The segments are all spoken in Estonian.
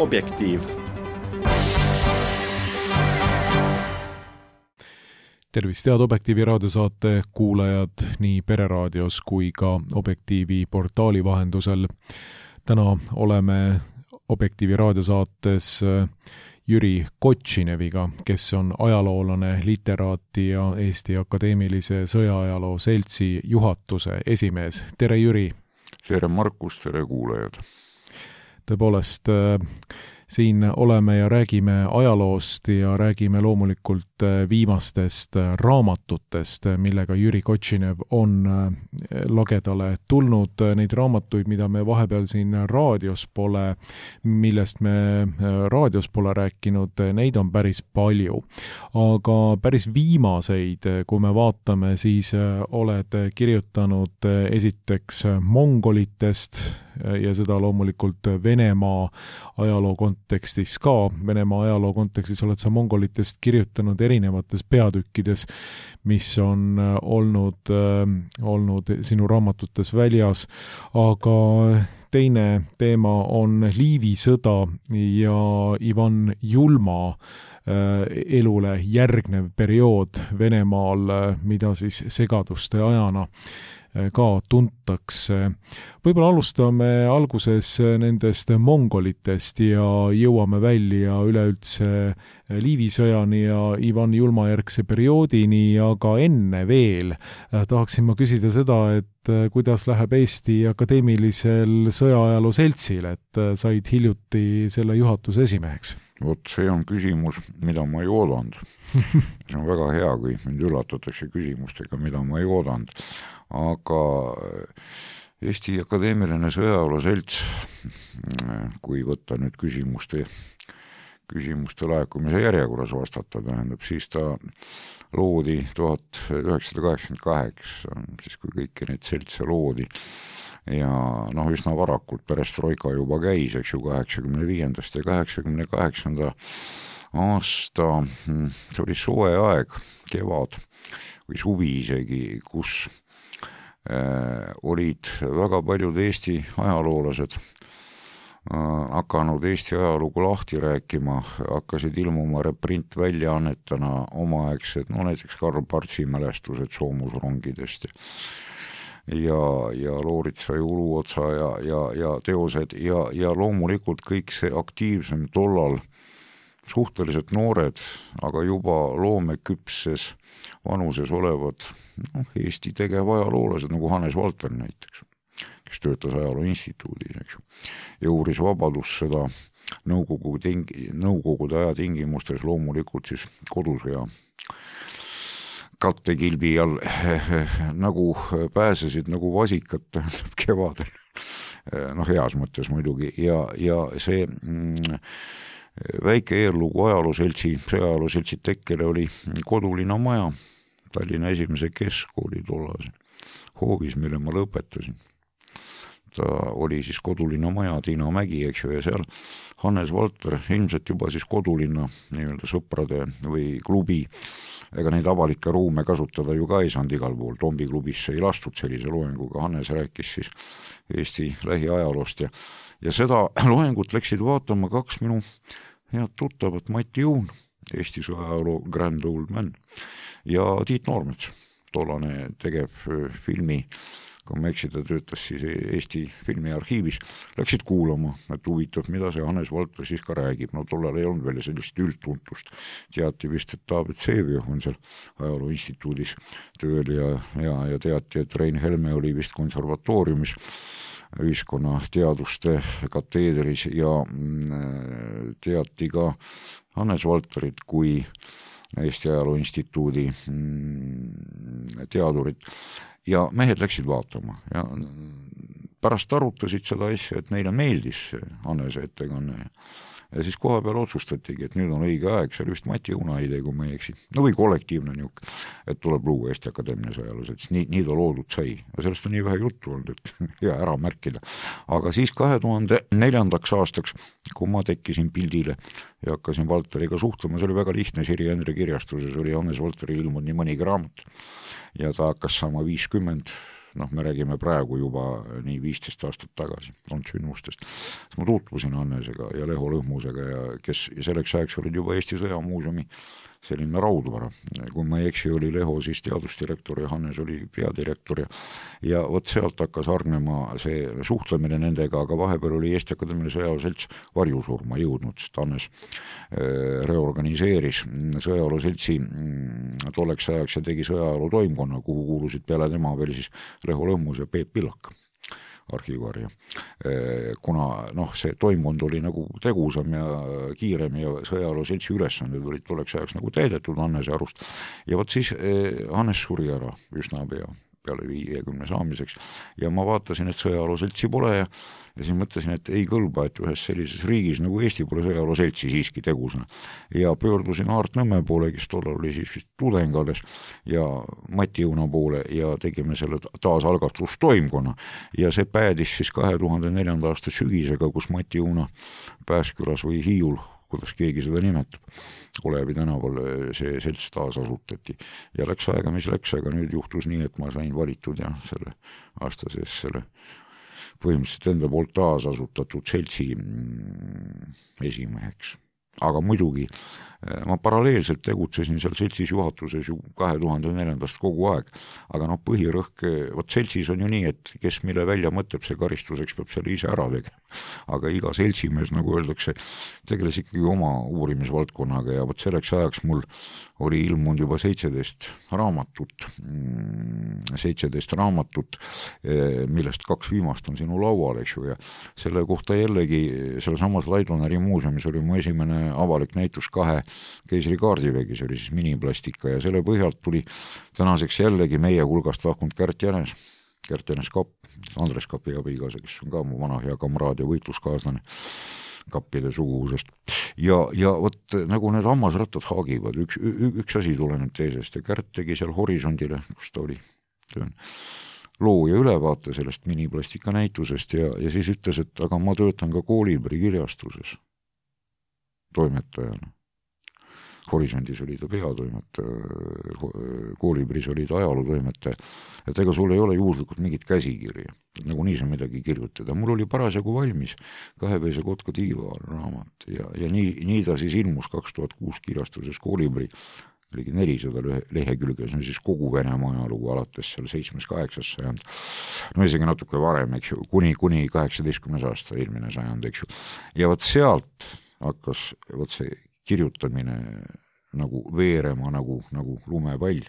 Objektiiv. Tervist, head Objektiivi raadiosaate kuulajad nii Pereraadios kui ka Objektiivi portaali vahendusel. Täna oleme Objektiivi raadiosaates Jüri Kotšineviga, kes on ajaloolane, literaati ja Eesti Akadeemilise Sõjaajaloo Seltsi juhatuse esimees. Tere, Jüri! Tere, Markus! Tere, kuulajad! Tõepoolest, siin oleme ja räägime ajaloost ja räägime loomulikult viimastest raamatutest, millega Jüri Kotšinev on lagedale tulnud. Neid raamatuid, mida me vahepeal siin raadios pole, millest me raadios pole rääkinud, neid on päris palju. Aga päris viimaseid, kui me vaatame, siis oled kirjutanud esiteks mongolitest ja seda loomulikult Venemaa ajaloo kontekstis ka. Venemaa ajaloo kontekstis oled sa mongolitest kirjutanud erinevates peatükkides, mis on olnud sinu raamatutes väljas, aga teine teema on Liivi sõda ja Ivan Julma elule järgnev periood Venemaal, mida siis segaduste ajana ka tuntakse. Võib-olla alustame alguses nendest mongolitest ja jõuame välja üleüldse Liivi sõjani ja Ivan Julma järgse perioodini, aga enne veel tahaksin ma küsida seda, et kuidas läheb Eesti Akadeemilisel Sõjaajaloo Seltsil, et said hiljuti selle juhatuse esimeheks? Vot see on küsimus, mida ma ei oodanud. See on väga hea, kui mind üllatatakse küsimustega, mida ma ei oodanud. Aga Eesti Akadeemiline Sõjaajaloo Selts, kui võtta nüüd küsimuste laekumise järjekorras vastata, tähendab, siis ta loodi 1988, siis kui kõiki neid seltse loodi. Ja üsna varakult perestroika juba käis, eks ju, 85. ja 88. aasta, see oli soe aeg, kevad või suvi isegi, kus olid väga paljud Eesti ajaloolased hakanud Eesti ajalugu lahti rääkima, hakkasid ilmuma reprintväljaannetena omaaegsed, näiteks Karl Partsi mälestused soomusrongidest ja Looritsa ja Uluotsa ja teosed ja loomulikult kõik see aktiivsem tollal suhteliselt noored, aga juba loomeküpses vanuses olevad Eesti tegevajaloollased, nagu Hannes Valter näiteks, kes töötas Ajaloo Instituudis, eks ju, ja uuris vabadussõda nõukogude aja tingimustes loomulikult siis kodusõja kattekilbi all nagu pääsesid nagu vasikad kevadel, heas mõttes muidugi, ja see väike eellugu Sõjaajaloo Seltsi tekkele oli Kodulinna maja, Tallinna esimese keskkooli tollase hoovis, mille ma lõpetasin. Ta oli siis Kodulinna maja, Tiina Mägi, eks ju, ja seal Hannes Valter, ilmselt juba siis Kodulinna nii-öelda sõprade või klubi, ega neid avalikke ruume kasutada ju ka ei saanud igal pool, Tombi klubisse ei lastud sellise loenguga, Hannes rääkis siis Eesti lähiajaloost ja seda loengut läksid vaatama kaks minu head tuttavat, Mati Juun, Eesti sõjaajaloo Grand Old Man, ja Tiit Noormets, tollane tegev filmi, kui ma eksida, töötas siis Eesti filmiarhiivis, läksid kuulama, et huvitav, mida see Hannes Valter siis ka räägib. Tollal ei olnud veel sellist üldtuntust. Teati vist, et David Vseviov on seal Ajaloo Instituudis tööl ja teati, et Rein Helme oli vist konservatooriumis ühiskonnateaduste kateedris ja teati ka Hannes Valterit kui Eesti Ajaloo Instituudi teadurit ja mehed läksid vaatama ja pärast arutasid seda asja, et neile meeldis Hannese ettekanne ja siis koha peal otsustatigi, et nüüd on õige aeg, see oli vist Mati Juuna idee, kui ma ei eksi, või kollektiivne niuk, et tuleb luua Eesti Akadeemiline Sõjaajaloo Selts, nii ta loodud sai ja sellest on nii vähe juttu olnud, et hea ära märkida, aga siis 2004. aastaks, kui ma tekkisin pildile ja hakkasin Valteriga suhtlema, see oli väga lihtne, Siri Endre kirjastuses oli Hannes Valteri ilmunud nii mõnigi raamat ja ta hakkas saama 50 me räägime praegu juba nii 15 aastat tagasi olnud sündmustest. Ma tutvusin Hannesega ja Leho Lõhmusega ja kes selleks ajaks olid juba Eesti Sõjamuuseumi selline raudvara. Kui ma ei eksi, oli Leho siis teadusdirektor ja Hannes oli peadirektor ja vot sealt hakkas hargnema see suhtlemine nendega, aga vahepeal oli Eesti Akadeemiline Sõjaväeselts varjusurma jõudnud, sest Hannes reorganiseeris Sõjaväeseltsi tolleks ajaks ja tegi sõjaväe toimkonna, kuhu kuulusid peale tema veel siis Leho Lõhmus ja Peep Pillak arhiivarja. Kuna see toimkond oli nagu tegusam ja kiirem ja sõjaväeseltsi ülesanded olid tolleks ajaks nagu täidetud Hannese arust. Ja vot siis Hannes suri ära üsna peale 50 saamiseks ja ma vaatasin, et sõjaväeseltsi pole ja siis mõtlesin, et ei kõlba, et ühes sellises riigis nagu Eesti pole sõjaväeseltsi siiski tegusana. Ja pöördusin Aart Nõmme poole, kes tollal oli siis vist tudeng alles ja Mati Õuna poole ja tegime selle taasalgastustoimkonna ja see päädis siis 2004. aasta sügisega, kus Mati Õuna Pääskülas või Hiiul, kuidas keegi seda nimetab, Olevi tänaval see selts taas asutati ja läks aega, mis läks, aga nüüd juhtus nii, et ma sain valitud ja selle aasta sees selle põhimõtteliselt enda poolt taas asutatud seltsi esimeheks. Aga muidugi ma paralleelselt tegutsesin seal seltsis juhatuses ju 2004. kogu aeg, aga põhirõhk, vot seltsis on ju nii, et kes mille välja mõtleb, see karistuseks peab selle ise ära tegema. Aga iga seltsimees, nagu öeldakse, tegeles ikkagi oma uurimisvaldkonnaga ja vot selleks ajaks mul oli ilmunud juba 17 raamatut, millest 2 viimast on sinu laual, eks ju, ja selle kohta jällegi selle samas Laidoneri muuseumis oli mu esimene avalik näitus 2 keisri kaardivägi, see oli siis miniplastika ja selle põhjalt tuli tänaseks jällegi meie hulgast lahkunud Kärt Jänes Kapp, Andres Kapi abikaasa, kes on ka mu vana hea kamraad ja võitluskaaslane kappide suguvusest. Ja vot nagu need hammasrattad haagivad, üks asi tuleneb teisest ja Kärt tegi seal Horisondile, kus ta oli loo ja ülevaate sellest miniplastika näitusest ja siis ütles, et aga ma töötan ka Koolibri kirjastuses toimetajana. Horisondis oli ta peatoimetaja, Koolibris oli ta ajalootoimetaja, et ega sul ei ole juhuslikult mingit käsikirja, nagu nii sa midagi kirjutada. Mul oli parasjagu valmis 2-veise Kotka tiiva raamat ja nii ta siis ilmus 2006 kirjastuses Koolibri, oligi 400 lehekülge, see on siis kogu Venemaa ajalugu alates seal 7-8 sajand, isegi natuke varem, eks ju, kuni 18. aasta eelmine sajand, eks ju. Ja vot sealt hakkas vot see kirjutamine nagu veerema, nagu lumepall.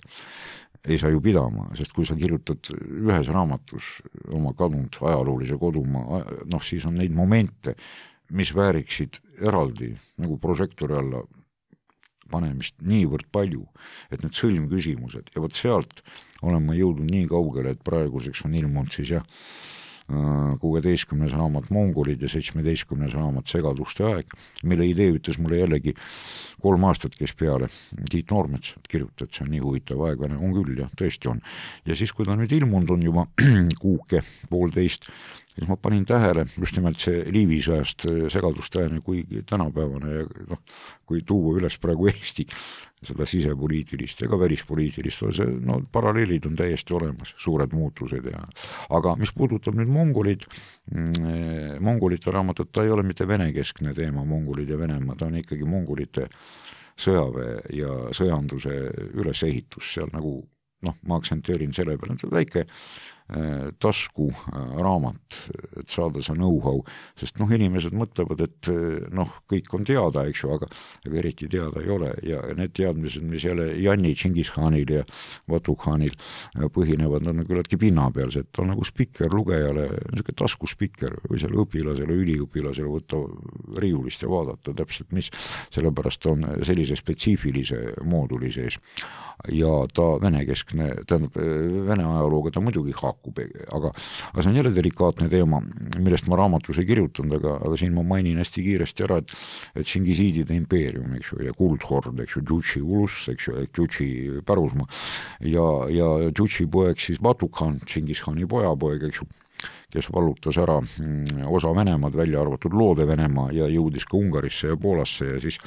Ei saa ju pidama, sest kui sa kirjutad ühes raamatus oma kadunud ajaloolise kodumaa, siis on neid momente, mis vääriksid eraldi nagu prožektori alla panemist niivõrd palju, et need sõlmküsimused ja vot sealt olen ma jõudnud nii kaugele, et praeguseks on ilmunud siis 16. raamat Mongolid ja 17. raamat Segaduste aeg, mille idee ütles mulle jällegi 3 aastat käis peale Tiit Noormets, et kirjuta, et see on nii huvitav aeg, on küll ja tõesti on. Ja siis, kui ta nüüd ilmunud on juba kuuke, 1,5, siis ma panin tähele just nimelt see Liivisõjast Segaduste ajani kui tänapäevane ja kui tuua üles praegu Eesti seda sisepoliitilist ega välispoliitilist, paralleelid on täiesti olemas, suured muutused aga mis puudutab nüüd mongolite raamatut, ta ei ole mitte venekeskne teema, mongolid ja Venemaa, ta on ikkagi mongolite sõjaväe ja sõjanduse ülesehitus seal nagu, ma aksenteerin selle peale, et väike tasku raamat, et saada see know-how, sest inimesed mõtlevad, et kõik on teada, eks ju, aga eriti teada ei ole ja need teadmised, mis jälle Janni Tšingis-Khanil ja Vatuk-Khanil põhinevad, nad on küllaltki pinna peal, see et on nagu spikker lugejale, niisugune taskuspikker või selle õpilasele, üliõpilasele võtta riiulist ja vaadata täpselt, mis, sellepärast on sellise spetsiifilise mooduli sees ja ta venekeskne, tähendab Vene ajalooga ta muidugi haakub, aga see on jälle delikaatne teema, millest ma raamatus ei kirjutanud, aga siin ma mainin hästi kiiresti ära, et Tšingisiidide impeerium, eks ju, ja kuldhord, eks ju, Džutši ulus, eks ju, Džutši pärusmaa ja Džutši poeg siis Vatuk-Khan, Tšingis-Khani pojapoeg, eks ju, kes vallutas ära osa Venemaad, välja arvatud Loode Venemaa ja jõudis ka Ungarisse ja Poolasse ja siis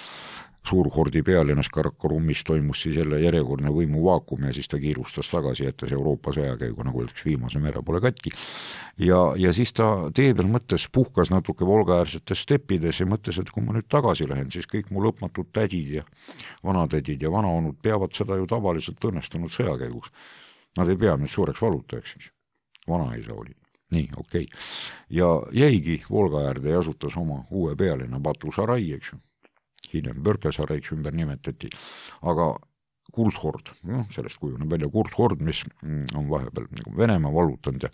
suurhordi pealinnas Karakorummis toimus siis jälle järjekordne võimuvaakum ja siis ta kiirustas tagasi, jättes Euroopa sõjakäigu, nagu öeldakse, viimase mere pole katki. Ja siis ta tee peal mõttes puhkas natuke Volga-äärsetes steppides ja mõttes, et kui ma nüüd tagasi lähen, siis kõik mu lõpmatud tädid ja vanatädid ja vanaonud peavad seda ju tavaliselt õnnestunud sõjakäiguks. Nad ei pea nüüd suureks valutajaks, eks. Vanaisa oli. Nii, okei. Ja jäigi Volga-äärde ja asutas oma uue pealinna Batu-Sarai, eks ju. Hiljem Börke-Saraiks ümber nimetati, aga Kuldhord, sellest kujuneb välja Kuldhord, mis on vahepeal nagu Venemaa vallutanud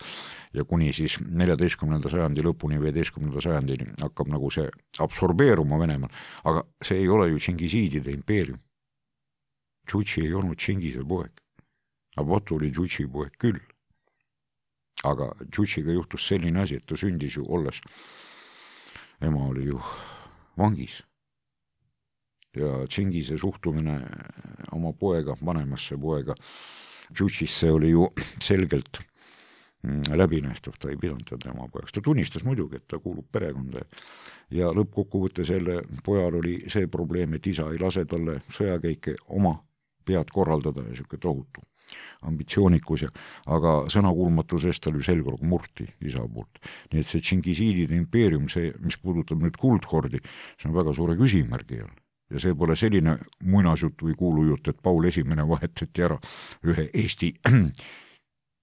ja kuni siis 14. sajandi lõpuni, 15. sajandini hakkab nagu see absorbeeruma Venemaal, aga see ei ole ju Tšingisiidide impeerium. Tšutši ei olnud Tšingise poeg, aga Batu oli Tšutši poeg küll. Aga Tšutšiga juhtus selline asi, et ta sündis ju olles, ema oli ju vangis. Ja Tšingise suhtumine oma poega, vanemasse poega Tšutšisse oli ju selgelt läbinähtav, ta ei pidanud teda ema pojaks. Ta tunnistas muidugi, et ta kuulub perekonda ja lõppkokkuvõtte selle pojal oli see probleem, et isa ei lase talle sõjakäike oma pead korraldada ja siuke tohutu ambitsioonikus, aga sõnakuulmatusest tal ju selgroog murti isa poolt. Nii et see Tšingisiidide impeerium, see, mis puudutab nüüd Kuldhordi, see on väga suure küsimärgi all. Ja see pole selline muinasjutt või kuulujutt, et Paul Esimene vahetati ära ühe Eesti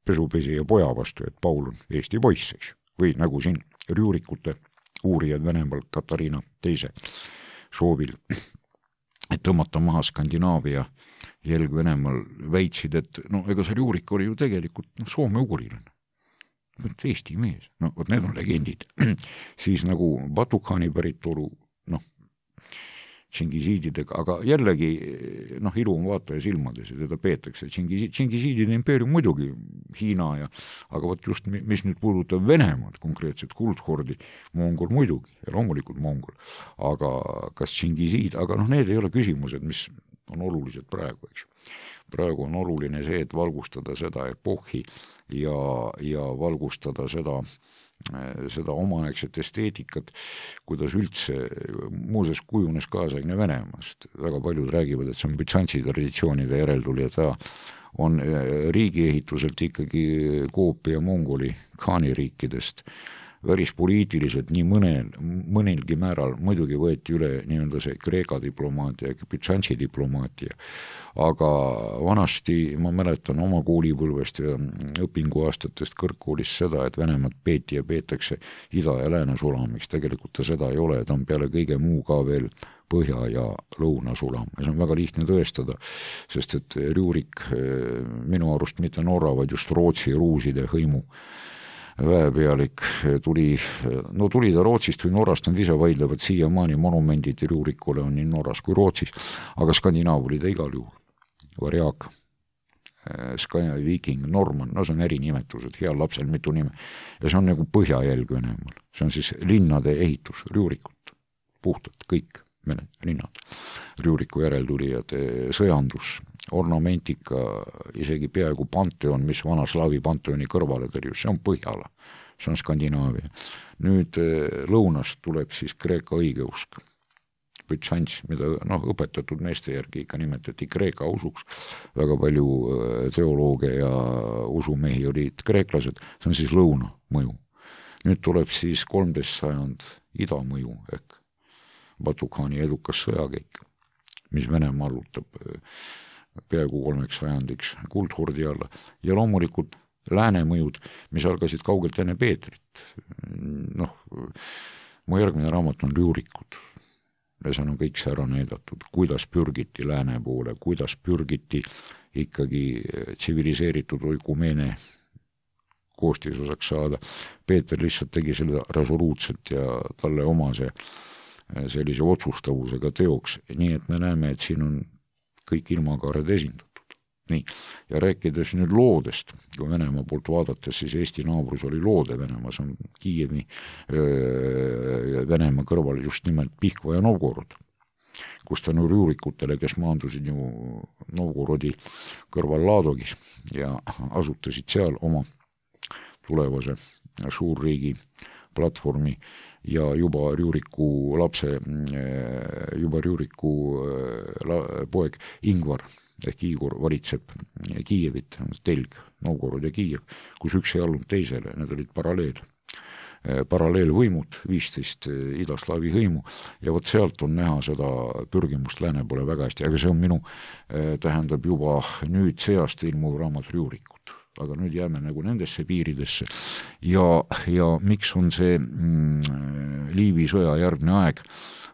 pesupesija poja vastu, et Paul on Eesti poiss, eks. Või nagu siin Rjuurikute uurijad Venemaal Katariina teise soovil, et tõmmata maha Skandinaavia jälg Venemaal väitsid, et no ega see Rjuurik oli ju tegelikult soome-ugurilane. Eesti mees, no vot need on legendid. Siis nagu Batu-khani päritolu, Tšingisiididega, aga jällegi ilu on vaataja silmades ja teda peetakse. Tšingisiidide impeerium muidugi Hiina aga vot just, mis nüüd puudutab Venemaad, konkreetselt Kuldhordi, Mongol muidugi ja loomulikult Mongol, aga kas Tšingisiid, aga need ei ole küsimused, mis on olulised praegu, eks. Praegu on oluline see, et valgustada seda epohhi ja valgustada seda omaaegset esteetikat, kuidas üldse muuseas kujunes kaasaegne Venemaast. Väga paljud räägivad, et see on Bütsantsi traditsioonide järeltulija, ta on riigiehituselt ikkagi koopia Mongoli Khani riikidest. Värispoliitiliselt nii mõnelgi määral muidugi võeti üle nii-öelda see Kreeka diplomaatia ja Bütsantsi diplomaatia, aga vanasti ma mäletan oma koolipõlvest ja õpinguaastatest kõrgkoolis seda, et Venemaad peeti ja peetakse ida- ja lääne sulamiks. Tegelikult ta seda ei ole, ta on peale kõige muu ka veel põhja- ja lõunasulam. Ja see on väga lihtne tõestada, sest et Rjuurik minu arust mitte Norra, vaid just Rootsi ruuside hõimu väepealik tuli ta Rootsist või Norrast, nad ise vaidlevad siiamaani monumendid Rjuurikule on nii Norras kui Rootsis, aga Skandinaav oli ta igal juhul. Varjak, Viking, Norman, see on erinnimetused, heal lapsel mitu nime. Ja see on nagu põhjajälg Venemaal. See on siis linnade ehitus, Rjuurikut, puhtalt kõik linnad, Rjuuriku järeltulijad, sõjandus, ornamentika, isegi peaaegu panteon, mis vana slaavi panteoni kõrvale tõrjus, see on Põhjala, see on Skandinaavia. Nüüd lõunast tuleb siis Kreeka õigeusk, Bütsants, mida õpetatud meeste järgi ikka nimetati Kreeka usuks, väga palju teolooge ja usumehi olid kreeklased, see on siis lõuna mõju. Nüüd tuleb siis 13. sajand ida mõju ehk Batu-khani edukas sõjakäik, mis Venemaa allutab peaaegu 3 sajandiks Kuldhordi alla ja loomulikult lääne mõjud, mis algasid kaugelt enne Peetrit. Mu järgmine raamat on Rjuurikud ja seal on kõik see ära näidatud, kuidas pürgiti lääne poole, kuidas pürgiti ikkagi tsiviliseeritud oikumeene koostisosaks saada. Peeter lihtsalt tegi selle resoluutselt ja talle omase sellise otsustavusega teoks, nii et me näeme, et siin on kõik ilmakaared esindatud. Nii, ja rääkides nüüd loodest, kui Venemaa poolt vaadates, siis Eesti naabrus oli loode Venemaa, see on Kiievi Venemaa kõrval just nimelt Pihkva ja Novgorod, kus tänu Rjuurikutele, kes maandusid ju Novgorodi kõrval Laadogis ja asutasid seal oma tulevase suurriigi platvormi, ja juba Rjuriku poeg Ingvar ehk Igor valitseb Kiievit, telg, Novgorod ja Kiiev, kus üks ei allunud teisele, need olid paralleelvõimud, 15 idaslaavi hõimu ja vot sealt on näha seda pürgimust lääne poole väga hästi, aga see on minu, tähendab juba nüüd seast ilmuv raamat Rjurikut, aga nüüd jääme nagu nendesse piiridesse ja miks on see Liivi sõja järgne aeg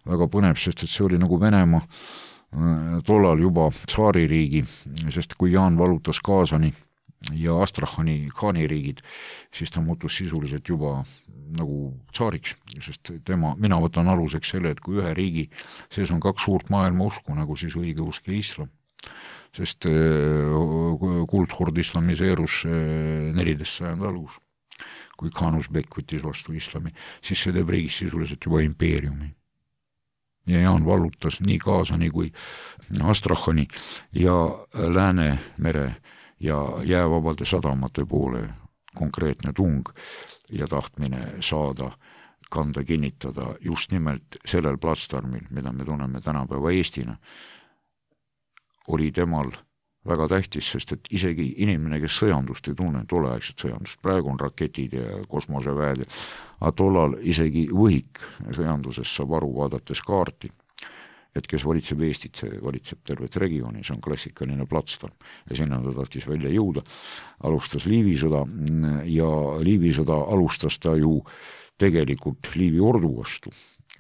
väga põnev, sest et see oli nagu Venemaa tollal juba tsaaririigi, sest kui Jaan valutas Kaasani ja Astrahani khaaniriigid, siis ta muutus sisuliselt juba nagu tsaariks, sest mina võtan aluseks selle, et kui ühe riigi sees on kaks suurt maailma usku, nagu siis õigeusk ja islam, sest kuldhord islamiseerus 14. sajandi algus, kui Khan Uzbek võttis vastu islami, siis see teeb riigis sisuliselt juba impeeriumi. Ja Jaan vallutas nii Kaasani kui Astrahani ja Läänemere ja jäävabade sadamate poole konkreetne tung ja tahtmine saada, kanda, kinnitada just nimelt sellel platsdarmil, mida me tunneme tänapäeva Eestina, oli temal väga tähtis, sest et isegi inimene, kes sõjandust ei tunne, tolleaegset sõjandust, praegu on raketid ja kosmoseväed, aga tollal isegi võhik sõjanduses saab aru vaadates kaarti, et kes valitseb Eestit, see valitseb tervet regiooni, see on klassikaline platsdarm ja sinna ta tahtis välja jõuda. Alustas Liivi sõda ja Liivi sõda alustas ta ju tegelikult Liivi ordu vastu,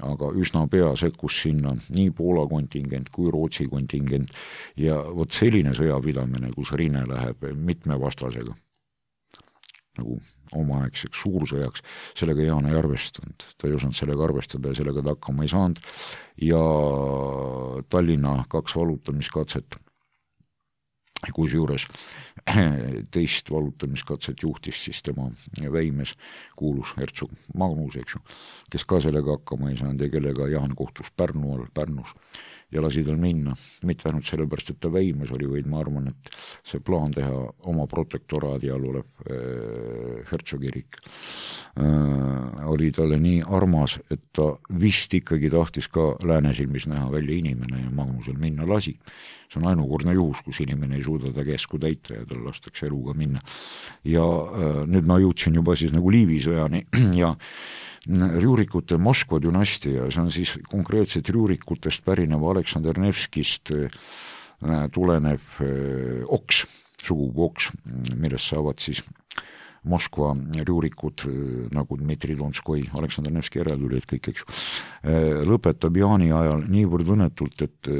aga üsna pea sekkus sinna nii Poola kontingent kui Rootsi kontingent ja vot selline sõjapidamine, kus rinne läheb mitme vastasega nagu omaaegseks suursõjaks, sellega Jaan ei arvestanud. Ta ei osanud sellega arvestada ja sellega ta hakkama ei saanud ja Tallinna 2 valutamiskatset, kus juures teist valutamiskatset juhtis siis tema väimes kuulus hertsog Magnus, eks ju, kes ka sellega hakkama ei saanud ja kellega Jaan kohtus Pärnus ja lasi tal minna. Mitte ainult sellepärast, et ta väimes oli, vaid ma arvan, et see plaan teha oma protektoraadi all olev hertsogirik oli talle nii armas, et ta vist ikkagi tahtis ka lääne silmis näha välja inimene ja Magnusel minna lasi. See on ainukordne juhus, kus inimene ei suuda ta käsku täita ja tal lastakse eluga minna. Ja nüüd ma jõudsin juba siis nagu Liivi sõjani ja Rjurikute Moskva dünastia, see on siis konkreetselt Rjurikutest pärineva Aleksander Nevskist tulenev oks, sugupuu oks, millest saavad siis Moskva Rjurikud, nagu Dmitri Donskoi, Aleksander Nevski järeltulijad kõik, eks ju, lõpetab Jaani ajal niivõrd õnnetult, et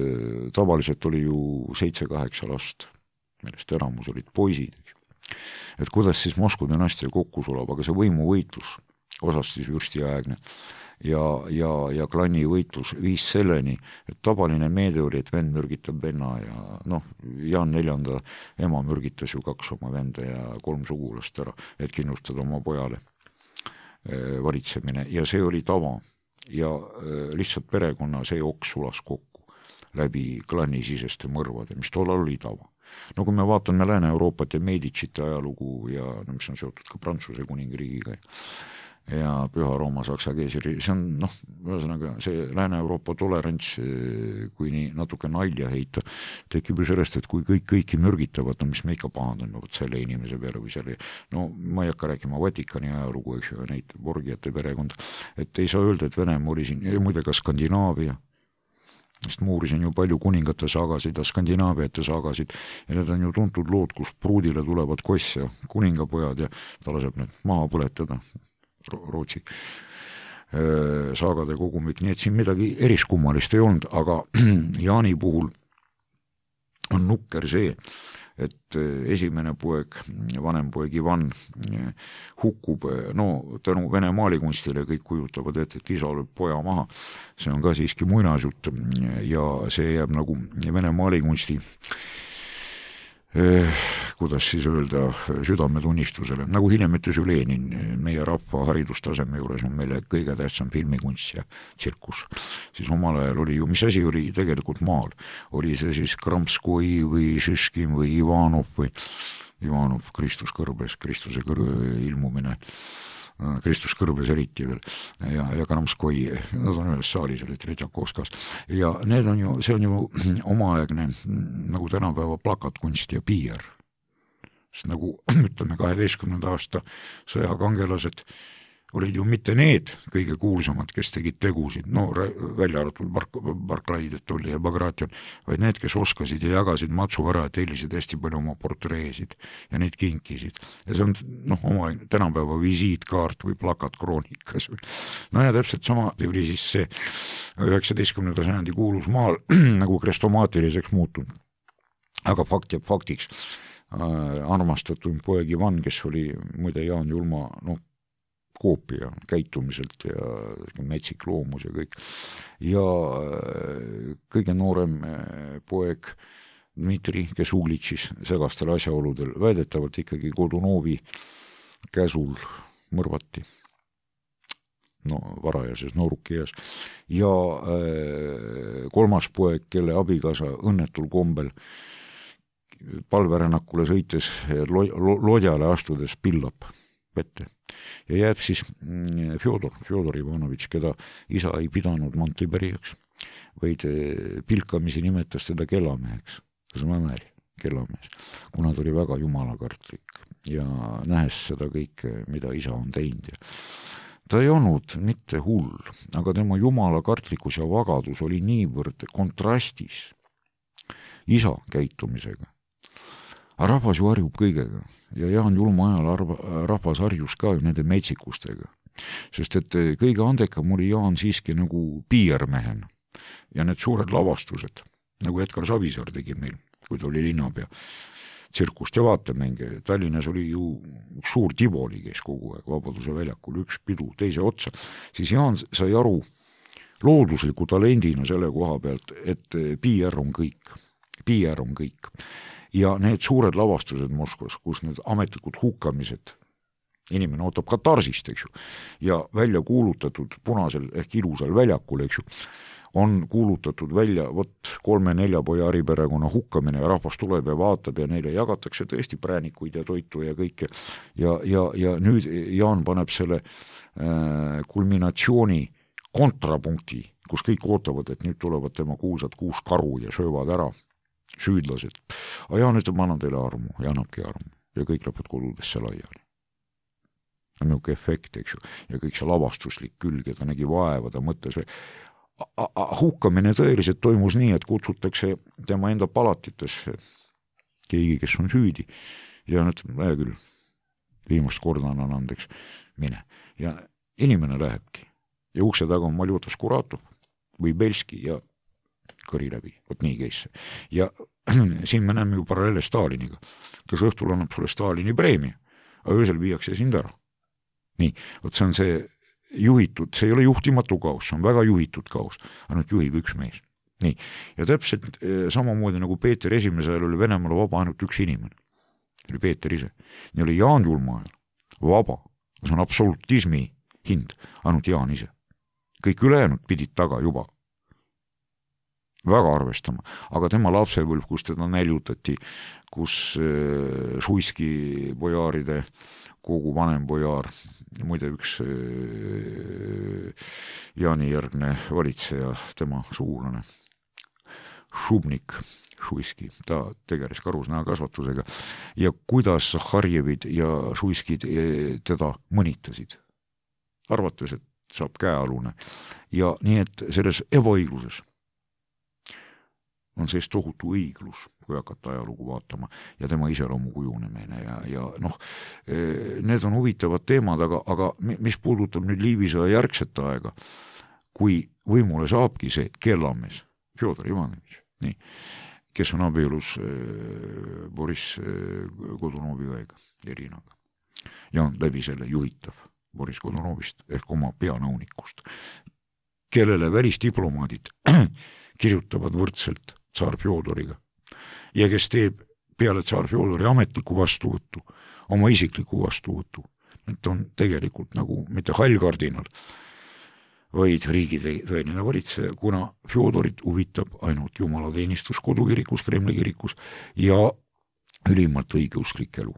tavaliselt oli ju 7-8 last, millest eramus olid poisid, eks ju. Et kuidas siis Moskva dünastia kokku sulab, aga see võimuvõitlus, osast siis vürstiaegne ja klanni võitlus viis selleni, et tavaline meede oli, et vend mürgitab venna ja Jaan IV ema mürgitas ju 2 oma venda ja 3 sugulast ära, et kindlustada oma pojale valitsemine ja see oli tava ja lihtsalt perekonna see oks sulas kokku läbi klannisiseste mõrvade, mis tollal oli tava. No kui me vaatame Lääne-Euroopat ja Medicite ajalugu ja mis on seotud ka Prantsuse kuningriigiga ja Püha Rooma Saksa keisri, see on ühesõnaga see Lääne-Euroopa tolerants, kui nii natuke nalja heita, tekib ju sellest, et kui kõiki mürgitavad, mis me ikka pahandame selle inimese peale või selle, ma ei hakka rääkima Vatikani ajalugu, eks ju, neid Borgiate perekond, et ei saa öelda, et Venemaa oli siin, ja muide ka Skandinaavia, sest ma uurisin ju palju kuningate saagasid ja skandinaaviate saagasid ja need on ju tuntud lood, kus pruudile tulevad koss ja kuningapojad ja ta laseb need maha põletada, Rootsi saagade kogumik, nii et siin midagi eriskummalist ei olnud, aga Jaani puhul on nukker see, et esimene poeg, vanem poeg Ivan hukkub, tänu Vene maalikunstile kõik kujutavad ette, et isa lööb poja maha, see on ka siiski muinasjutt ja see jääb nagu Vene maalikunsti kuidas siis öelda, südametunnistusele, nagu hiljem ütles ju Lenin, meie rahva haridustaseme juures on meile kõige tähtsam filmikunst ja tsirkus. Siis omal ajal oli ju, mis asi oli tegelikult maal, oli see siis Kramskoi või Šiškin või Ivanov, Kristus kõrbes, Kristuse ilmumine Kristus Kõrbes eriti veel ja Kramskoi, nad on ühes saalis, olid Tretjakovskas ja need on ju, see on ju omaaegne nagu tänapäeva plakatkunst ja PR. Sest nagu ütleme 12. aasta sõjakangelased olid ju mitte need kõige kuulsamad, kes tegid tegusid, no välja arvatud Barclaid, et oli ja Bagration, vaid need, kes oskasid ja jagasid matsu ära ja tellisid hästi palju oma portreesid ja neid kinkisid. Ja see on oma tänapäeva visiitkaart või plakat kroonikas. No ja täpselt sama oli siis see 19. sajandi kuulus maal nagu krestomaatiliseks muutunud. Aga fakt jääb faktiks. Armastatud poeg Ivan, kes oli muide Jaan Julma, koopia käitumiselt ja metsik loomus ja kõik. Ja kõige noorem poeg Dmitri, kes Uglitšis segastel asjaoludel väidetavalt ikkagi Godunovi käsul mõrvati. Varajases noorukieas. Ja kolmas poeg, kelle abikaasa õnnetul kombel palverännakule sõites lodjale astudes pillab vette. Ja jääb siis Fjodor Ivanovitš, keda isa ei pidanud Monteberijaks, vaid pilkamisi nimetas teda kellameheks, kellamees, kuna ta oli väga jumalakartlik ja nähes seda kõike, mida isa on teinud. Ta ei olnud mitte hull, aga tema jumalakartlikkus ja vagadus oli niivõrd kontrastis isa käitumisega. Rahvas ju harjub kõigega ja Jaan Julma ajal rahvas harjus ka nende metsikustega, sest et kõige andekam oli Jaan siiski nagu piirmehena ja need suured lavastused, nagu Edgar Savisaar tegi meil, kui ta oli linnapea, tsirkust ja vaatemänge. Tallinnas oli ju suur Tivoli, kes kogu aeg Vabaduse väljakul, üks pidu teise otsa, siis Jaan sai aru loodusliku talendina selle koha pealt, et PR on kõik. Ja need suured lavastused Moskvas, kus need ametlikud hukkamised, inimene ootab katarsist, eks ju, ja välja kuulutatud punasel ehk ilusal väljakul, eks ju, on kuulutatud välja 3-4 pojari perekonna hukkamine ja rahvas tuleb ja vaatab ja neile jagatakse tõesti präänikuid ja toitu ja kõike. Ja nüüd Jaan paneb selle kulminatsiooni kontrapunkti, kus kõik ootavad, et nüüd tulevad tema kuulsad 6 karu ja söövad ära süüdlased. Aga Jaan ütleb, ma annan teile armu ja annabki armu ja kõik lõpud kodudesse laiali. Niuke efekt, eks ju, ja kõik see lavastuslik külg ja ta nägi vaeva, ta mõtles. Hukkamine tõeliselt toimus nii, et kutsutakse tema enda palatitesse keegi, kes on süüdi ja ütleb, küll, viimast korda annan andeks, mine. Ja inimene lähebki ja ukse taga on Maljutas Kuratov või Belski ja kõri läbi, nii käis see. Ja siin me näeme ju paralleele Staliniga, kes õhtul annab sulle Stalini preemia, aga öösel viiakse sind ära. Nii, see on see juhitud, see ei ole juhtimatu kaos, see on väga juhitud kaos, ainult juhib üks mees. Nii, ja täpselt samamoodi nagu Peeter esimesel oli Venemaal vaba ainult üks inimene, oli Peeter ise. Nii oli Jaan Julma ajal vaba, see on absolutismi hind, ainult Jaan ise. Kõik ülejäänud pidid taga juba väga arvestama, aga tema lapsepõlv, kus teda näljutati, kus Šuiski pojaaride kogu vanem pojaar, muide üks Jaani järgne valitseja, tema sugulane Šubnik Šuiski, ta tegeles karusnaha kasvatusega ja kuidas Zahharjevid ja Šuiskid teda mõnitasid, arvates, et saab käealune ja nii, et selles ebaõigluses on sees tohutu õiglus, kui hakata ajalugu vaatama ja tema iseloomu kujunemine ja need on huvitavad teemad, aga mis puudutab nüüd Liivisõja järgset aega, kui võimule saabki see kellamees, Fjodor Ivanovitš, nii, kes on abielus Boris Godunovi õega, Irinaga ja on läbi selle juhitav Boris Godunovist ehk oma peanõunikust, kellele välisdiplomaadid kirjutavad võrdselt tsaar Fjodoriga ja kes teeb peale tsaar Fjodori ametliku vastuvõttu, oma isikliku vastuvõttu. Need on tegelikult nagu mitte hallkardinal, vaid riigi tõeline valitseja, kuna Fjodorit huvitab ainult jumalateenistus kodukirikus, Kremli kirikus ja ülimalt õigeusklik elu.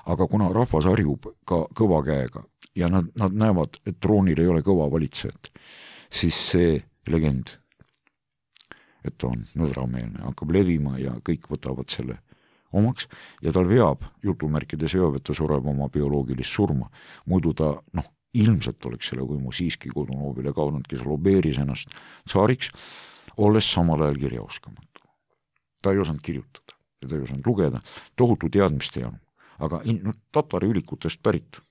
Aga kuna rahvas harjub ka kõva käega ja nad näevad, et troonil ei ole kõva valitsejat, siis see legend, et ta on nõdrameelne, hakkab levima ja kõik võtavad selle omaks ja tal veab, jutumärkides veab, et ta sureb oma bioloogilist surma. Muidu ta, ilmselt oleks selle võimu siiski Godunovile kaudnud, kes lobeeris ennast tsaariks, olles samal ajal kirjaoskamatu. Ta ei osanud kirjutada ja ta ei osanud lugeda, tohutu teadmiste janu, aga tatari ülikutest pärit.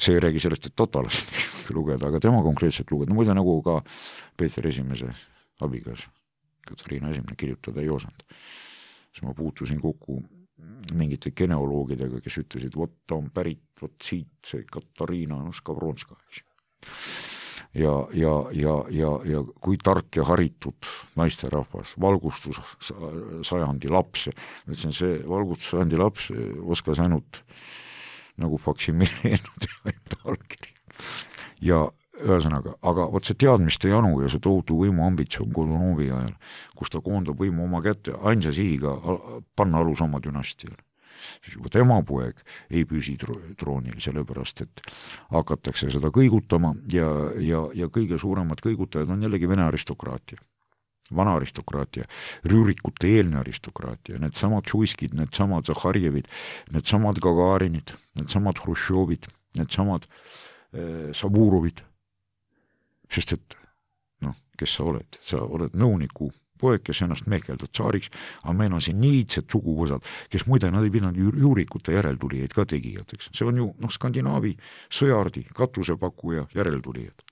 See ei räägi sellest, et tatalast lugeda, aga tema konkreetselt lugeda, muide nagu ka Peeter Esimese abigas, Katariina Esimene kirjutada ei osanud. Siis ma puutusin kokku mingite geneoloogidega, kes ütlesid, vot ta on pärit, vot siit see Katariina Skavronska. Ja kui tark ja haritud naisterahvas, valgustus sajandi laps, ütlesin, see valgustus sajandi laps oskas ainult nagu faksimileenud ja allkiri. Ja ühesõnaga, aga vot see teadmiste janu ja see tohutu võimu ambitsioon Godunovi ajal, kus ta koondab võimu oma kätte ainsa sihiga panna alus oma dünastiale. Siis juba tema poeg ei püsi troonil, sellepärast, et hakatakse seda kõigutama ja kõige suuremad kõigutajad on jällegi Vene aristokraatia, vana aristokraatia, rüürikute eelne aristokraatia, need samad Šuiskid, need samad Zahharjevid, need samad Gagarinid, need samad Hruštšovid, need samad Saburovid. Sest et, kes sa oled? Sa oled nõuniku poeg, kes ennast mehkeldad tsaariks, aga meil on siin niidsed suguvõsad, kes muide nad ei pidanud juurikute järeltulijaid ka tegijateks. See on ju Skandinaavi sõjardi, katusepakkuja järeltulijad,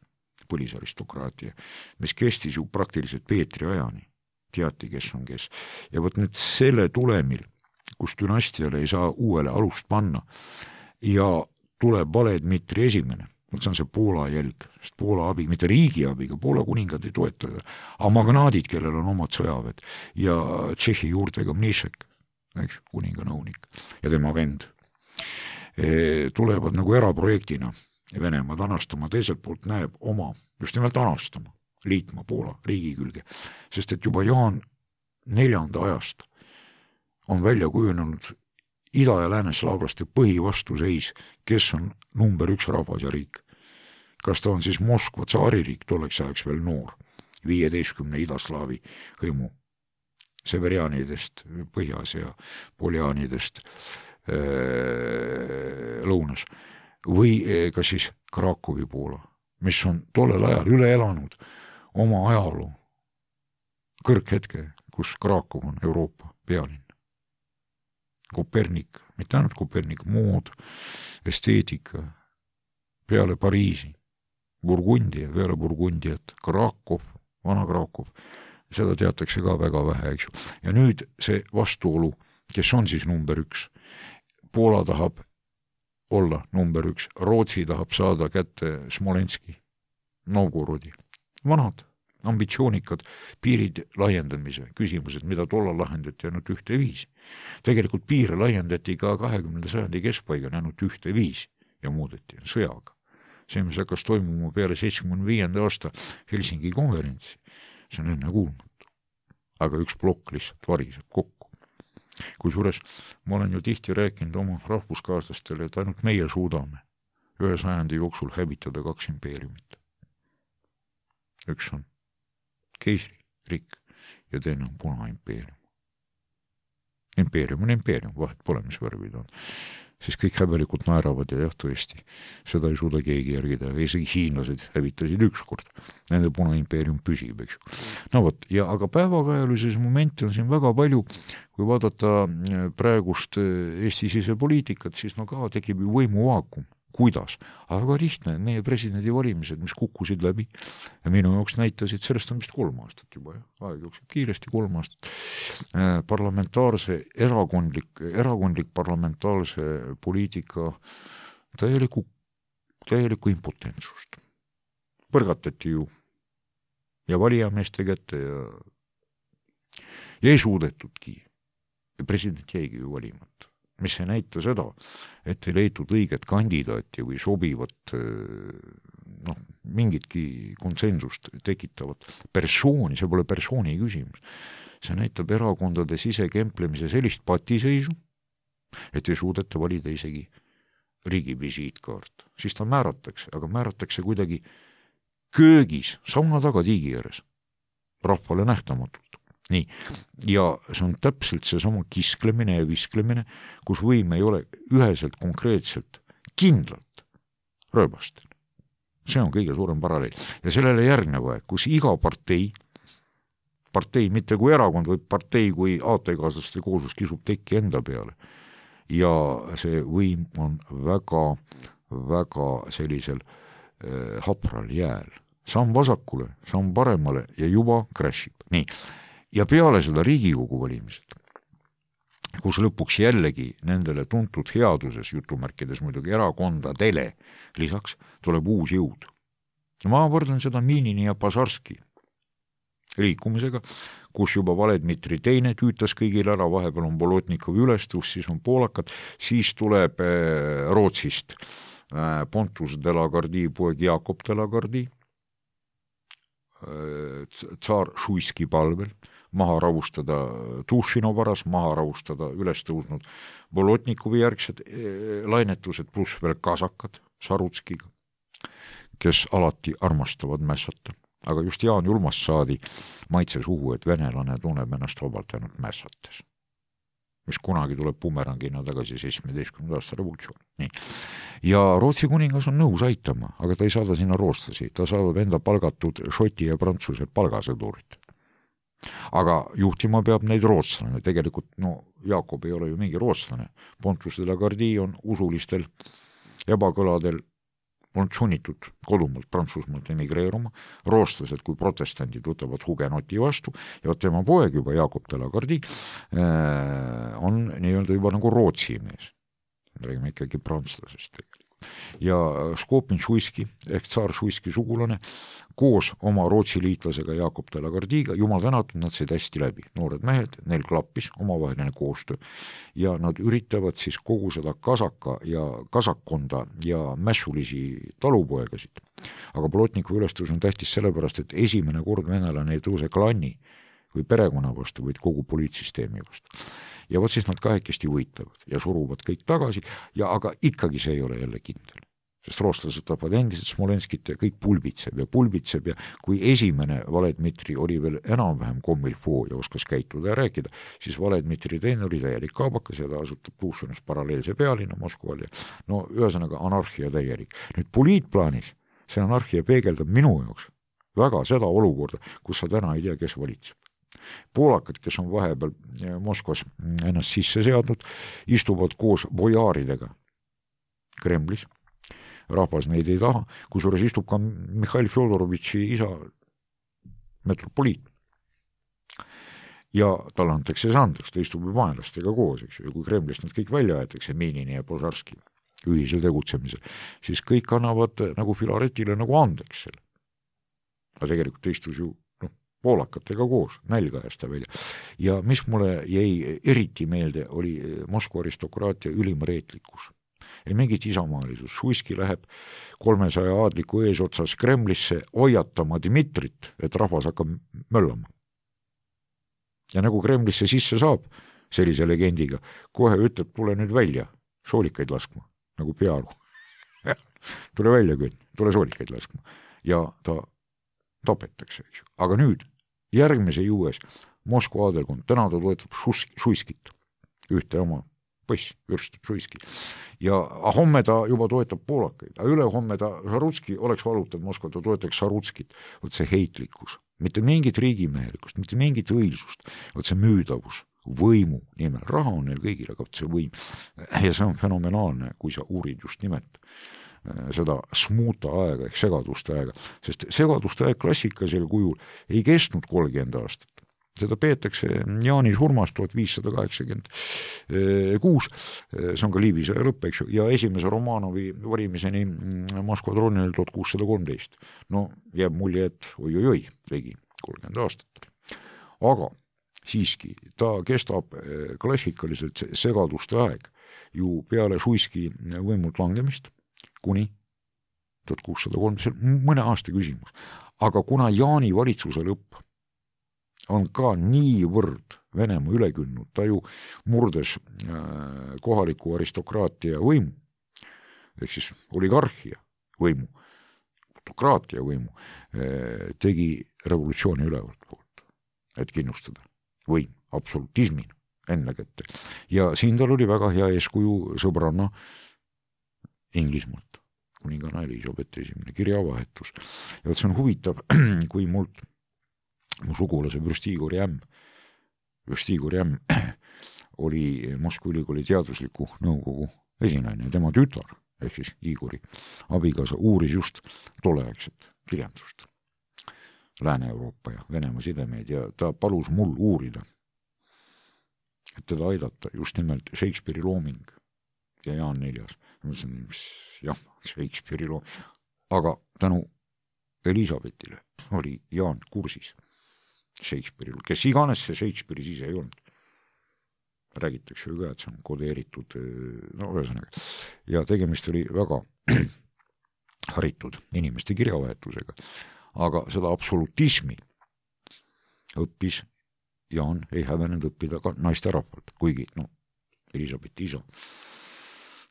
põlisaristokraatia, mis kestis ju praktiliselt Peetri ajani. Teati, kes on kes. Ja võt nüüd selle tulemil, kus dünastiale ei saa uuele alust panna ja tuleb vale Dmitri Esimene, see on see Poola jälg, sest Poola abi, mitte riigi abiga, Poola kuningad ei toeta, aga magnaadid, kellel on omad sõjaved ja Tšehhi juurtega Mnišek, kuninga nõunik ja tema vend, tulevad nagu eraprojektina Venemaad anastama, teiselt poolt näeb oma, just nimelt anastama, liitma Poola riigi külge, sest et juba Jaan 4. ajast on välja kujunenud ida- ja lääneslaavlaste põhivastuseis, kes on number 1 rahvas ja riik. Kas ta on siis Moskva tsaaririik, tolleks ajaks veel noor, 15 idaslaavi hõimu, severianidest põhjas ja poljaanidest lõunas, või ka siis Krakowi Poola, mis on tollel ajal üle elanud oma ajaloo kõrghetke, kus Krakow on Euroopa pealinn. Kopernik, mitte ainult Kopernik, mood, esteetika, peale Pariisi, Burgundia, peale Burgundiat, Krakow, vana Krakow, seda teatakse ka väga vähe, eks ju. Ja nüüd see vastuolu, kes on siis number 1, Poola tahab olla number 1, Rootsi tahab saada kätte Smolenski, Novgorodi, vanad, ambitsioonikad piirid laiendamise küsimused, mida tollal lahendati ainult 1-5. Tegelikult piire laiendati ka 20. sajandi keskpaigal ainult 1-5 ja muudeti sõjaga. See, mis hakkas toimuma peale 75. aasta Helsingi konverentsi, see on enne kuulmatu. Aga üks plokk lihtsalt variseb kokku. Kusjuures ma olen ju tihti rääkinud oma rahvuskaaslastele, et ainult meie suudame 1 sajandi jooksul hävitada 2 impeeriumit. Üks on keisririik ja teine on Punaimpeerium. Impeerium on impeerium, vahet pole, mis värvid on. Siis kõik häbelikult naeravad ja jah, tõesti, seda ei suuda keegi järgida. Isegi hiinlased hävitasid 1 kord. Nende Punaimpeerium püsib, eks ju. No vot, ja aga päevakajalises momenti on siin väga palju, kui vaadata praegust Eesti sisepoliitikat, siis ka tekib ju võimuvaakum. Kuidas? Aga lihtne, meie presidendi valimised, mis kukkusid läbi ja minu jaoks näitasid, sellest on vist 3 aastat juba, aeg jookseb kiiresti 3 aastat, parlamentaarse, erakondlik parlamentaarse poliitika täielikku impotentsust. Põrgatati ju ja valijameeste kätte ja ei suudetudki. President jäigi ju valimata. Mis ei näita seda, et ei leitud õiget kandidaati või sobivat mingitki konsensust tekitavat persooni, see pole persooni küsimus. see näitab erakondade sisekemplemise sellist patiseisu, et ei suudeta valida isegi riigi visiitkaart. Siis ta määratakse, aga määratakse kuidagi köögis, sauna taga tiigi ääres, rahvale nähtamatult. Nii, ja see on täpselt seesama kisklemine ja visklemine, kus võim ei ole üheselt konkreetselt kindlalt rööbastel. See on kõige suurem paralleel. Ja sellele järgneva, kus iga partei mitte kui erakond, vaid partei kui aatekaaslaste kooslus kisub tekki enda peale. Ja see võim on väga sellisel hapral jääl. Samm vasakule, samm paremale ja juba crashib. Nii. Ja peale seda Riigikogu valimised, kus lõpuks jällegi nendele tuntud headuses, jutumärkides muidugi erakondadele, lisaks tuleb uus jõud. Ma võrdlen seda Minini ja Pasarski liikumisega, kus juba Valedmitri teine tüütas kõigil ära, vahepeal on Bolotnikovi ülestus, siis on poolakad, siis tuleb Rootsist Pontus de la Gardii poeg Jakob de la Gardii, tsaar Šuiski palvel, maha ravustada Tušino varas, maha ravustada üles tõusnud Bolotnikovi järgsed lainetused, pluss veel kasakad Sarutskiga, kes alati armastavad mässata. Aga just Jaan Julmast saadi maitse suhu, et venelane tunneb ennast vabalt ainult mässates, mis kunagi tuleb bumerangina tagasi 17. aasta revolutsioon. Nii. Ja Rootsi kuningas on nõus aitama, aga ta ei saada sinna rootslasi, ta saadab enda palgatud šoti ja prantsuse palgasõdurit. Aga juhtima peab neid rootslane, tegelikult Jakob ei ole ju mingi rootslane, Pontus de la Gardii on usulistel ebakõladel on sunnitud kodumalt Prantsusmaalt emigreeruma, rootslased kui protestandid võtavad hugenoti vastu ja tema poeg juba Jakob de la Gardii on nii-öelda juba nagu Rootsi mees. Räägime ikkagi prantslasest tegelikult. Ja Skopin Šuiski ehk tsaar Šuiski sugulane koos oma Rootsi liitlasega Jakob de la Gardiiga, jumal tänatud, nad said hästi läbi. Noored mehed, neil klappis omavaheline koostöö ja nad üritavad siis kogu seda kasakkonda ja mässulisi talupoegasid. Aga Bolotnikovi ülestus on tähtis sellepärast, et esimene kord venelane ei tõuse klanni või perekonna vastu, vaid kogu poliitsüsteemi vastu. Ja võt siis nad kahekesti võitlevad ja suruvad kõik tagasi, aga ikkagi see ei ole jälle kindel. Sest rootslased tapavad endiselt Smolenskit ja kõik pulbitseb ja kui esimene Valedmitri oli veel enam-vähem kommilfoo ja oskas käituda ja rääkida, siis Valedmitri teine oli täielik kaabakas ja ta asutab Tuušanis paralleelse pealinna Moskval ja ühesõnaga anarhia täielik. Nüüd poliitplaanis see anarhia peegeldab minu jaoks väga seda olukorda, kus sa täna ei tea, kes valitseb. Poolakad, kes on vahepeal Moskvas ennast sisse seadnud, istuvad koos bojaaridega Kremlis. Rahvas neid ei taha, kusjuures istub ka Mihhail Fjodorovitši isa metropoliit. Ja talle antakse see andeks, ta istub vaenlastega koos, eks ju, ja kui Kremlist nad kõik välja aetakse, Minini ja Pasarski ühisel tegutsemisel, siis kõik annavad nagu Filaretile nagu andeks selle. Aga tegelikult ta istus ju poolakatega koos, nälga ajas ta välja. Ja mis mulle jäi eriti meelde, oli Moskva aristokraatia ülim reetlikkus. Ei mingit isamaalisus. Šuiski läheb 300 aadliku eesotsas Kremlisse hoiatama Dmitrit, et rahvas hakkab möllama. Ja nagu Kremlisse sisse saab sellise legendiga, kohe ütleb, tule nüüd välja soolikaid laskma, nagu peaaru. Tule välja küll, tule soolikaid laskma. Ja ta tapetakse, eks ju. Aga nüüd, järgmise juues Moskva aadelkond, täna ta toetab Šuiskit, ühte oma poiss, Jürst Šuiski. Ja homme ta juba toetab poolakaid, aga ülehomme ta Sarutski oleks valutanud Moskva, ta toetaks Sarutskit. Võt see heitlikkus, mitte mingit riigimehelikult, mitte mingit õilsust, võt see müüdavus, võimu nimel, raha on neil kõigil, aga see võim. Ja see on fenomenaalne, kui sa uurid just nimelt seda smuuta aega ehk segaduste aega, sest segaduste aeg klassikalisel kujul ei kestnud 30 aastat. Seda peetakse Jaani surmast 1586, see on ka Liivi sõja lõpp, eks ju, ja esimese Romanovi varimiseni Moskva troonil 1613. No jääb mulje, et oi, ligi 30 aastat. Aga siiski ta kestab klassikaliselt segaduste aeg ju peale Šuiski võimult langemist kuni 1603, see on mõne aasta küsimus. Aga kuna Jaani valitsuse lõpp on ka niivõrd Venemaa üle kündnud, ta ju murdes kohaliku aristokraatia võimu, ehk siis oligarhia võimu, autokraatia võimu, tegi revolutsiooni ülevalt poolt, et kindlustada võim absolutismina enda kätte. Ja siin tal oli väga hea eeskuju sõbranna Inglismaalt, kuninganna Elisabeth I kirjavahetus. Ja see on huvitav, kui mu sugulase Vürstigor Jämm oli Moskva ülikooli teadusliku nõukogu esinaine ja tema tütar, ehk siis Igori abikaasa, uuris just tolleaegset kirjandust, Lääne-Euroopa ja Venemaa sidemeid, ja ta palus mul uurida, et teda aidata just nimelt Shakespeare'i looming ja Jaan IV. Ma mõtlesin, jah, Shakespeare'i looming, aga tänu Elisabethile oli Jaan kursis Shakespeare'i, kes iganes see Shakespeare'i siis ei olnud. Räägitakse ju ka, et see on kodeeritud, no ühesõnaga. Ja tegemist oli väga haritud inimeste kirjavahetusega, aga seda absolutismi õppis Jaan ei hävenenud õppida ka naisterahvalt, kuigi Elisabethi isa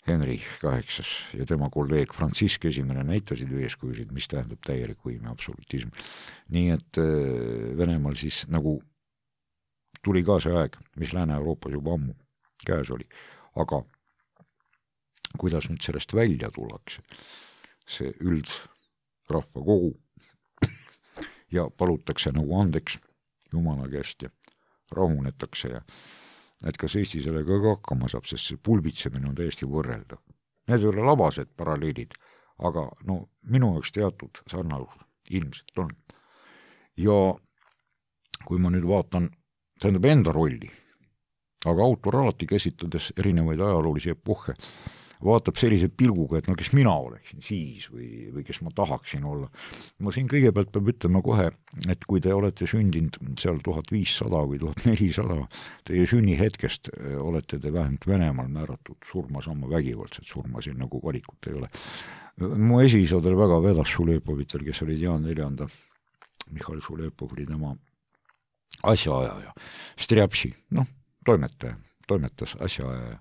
Henri VIII ja tema kolleeg Franzisk I näitasid ju eeskujusid, mis tähendab täielik võim ja absolutism. Nii et Venemaal siis nagu tuli ka see aeg, mis Lääne-Euroopas juba ammu käes oli, aga kuidas nüüd sellest välja tullakse, see üldrahva kogu ja palutakse nagu andeks Jumala käest ja rahunetakse ja et kas Eesti sellega ka hakkama saab, sest see pulbitsemine on täiesti võrreldav. Need ei ole labased paralleelid, aga minu jaoks teatud sarnasus ilmselt on. Ja kui ma nüüd vaatan, tähendab enda rolli, aga autor alati käsitledes erinevaid ajaloolisi epohhe, vaatab sellise pilguga, et kes mina oleksin siis või kes ma tahaksin olla. Ma siin kõigepealt peab ütlema kohe, et kui te olete sündinud seal 1500 või 1400, teie sünnihetkest olete te vähemalt Venemaal määratud surma sama vägivaldselt surma, siin nagu valikut ei ole. Mu esiisadel väga vedas Šulepovitel, kes oli Jaan IV, Mihhail Šulepov oli tema asjaajaja, Strjapši, toimetas asjaajaja.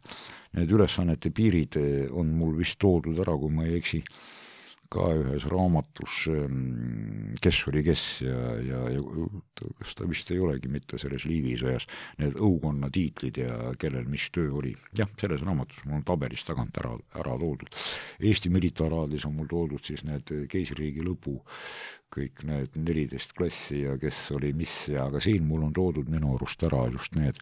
Need ülesannete piirid on mul vist toodud ära, kui ma ei eksi, ka ühes raamatus, kes oli kes ja kas ta vist ei olegi mitte selles liivisõjas, need õukonna tiitlid ja kellel mis töö oli. Jah, selles raamatus mul on tabelis tagant ära toodud. Eesti militaaraadis on mul toodud siis need keisririigi lõpu, kõik need 14 klassi ja kes oli mis, aga siin mul on toodud minu arust ära just need,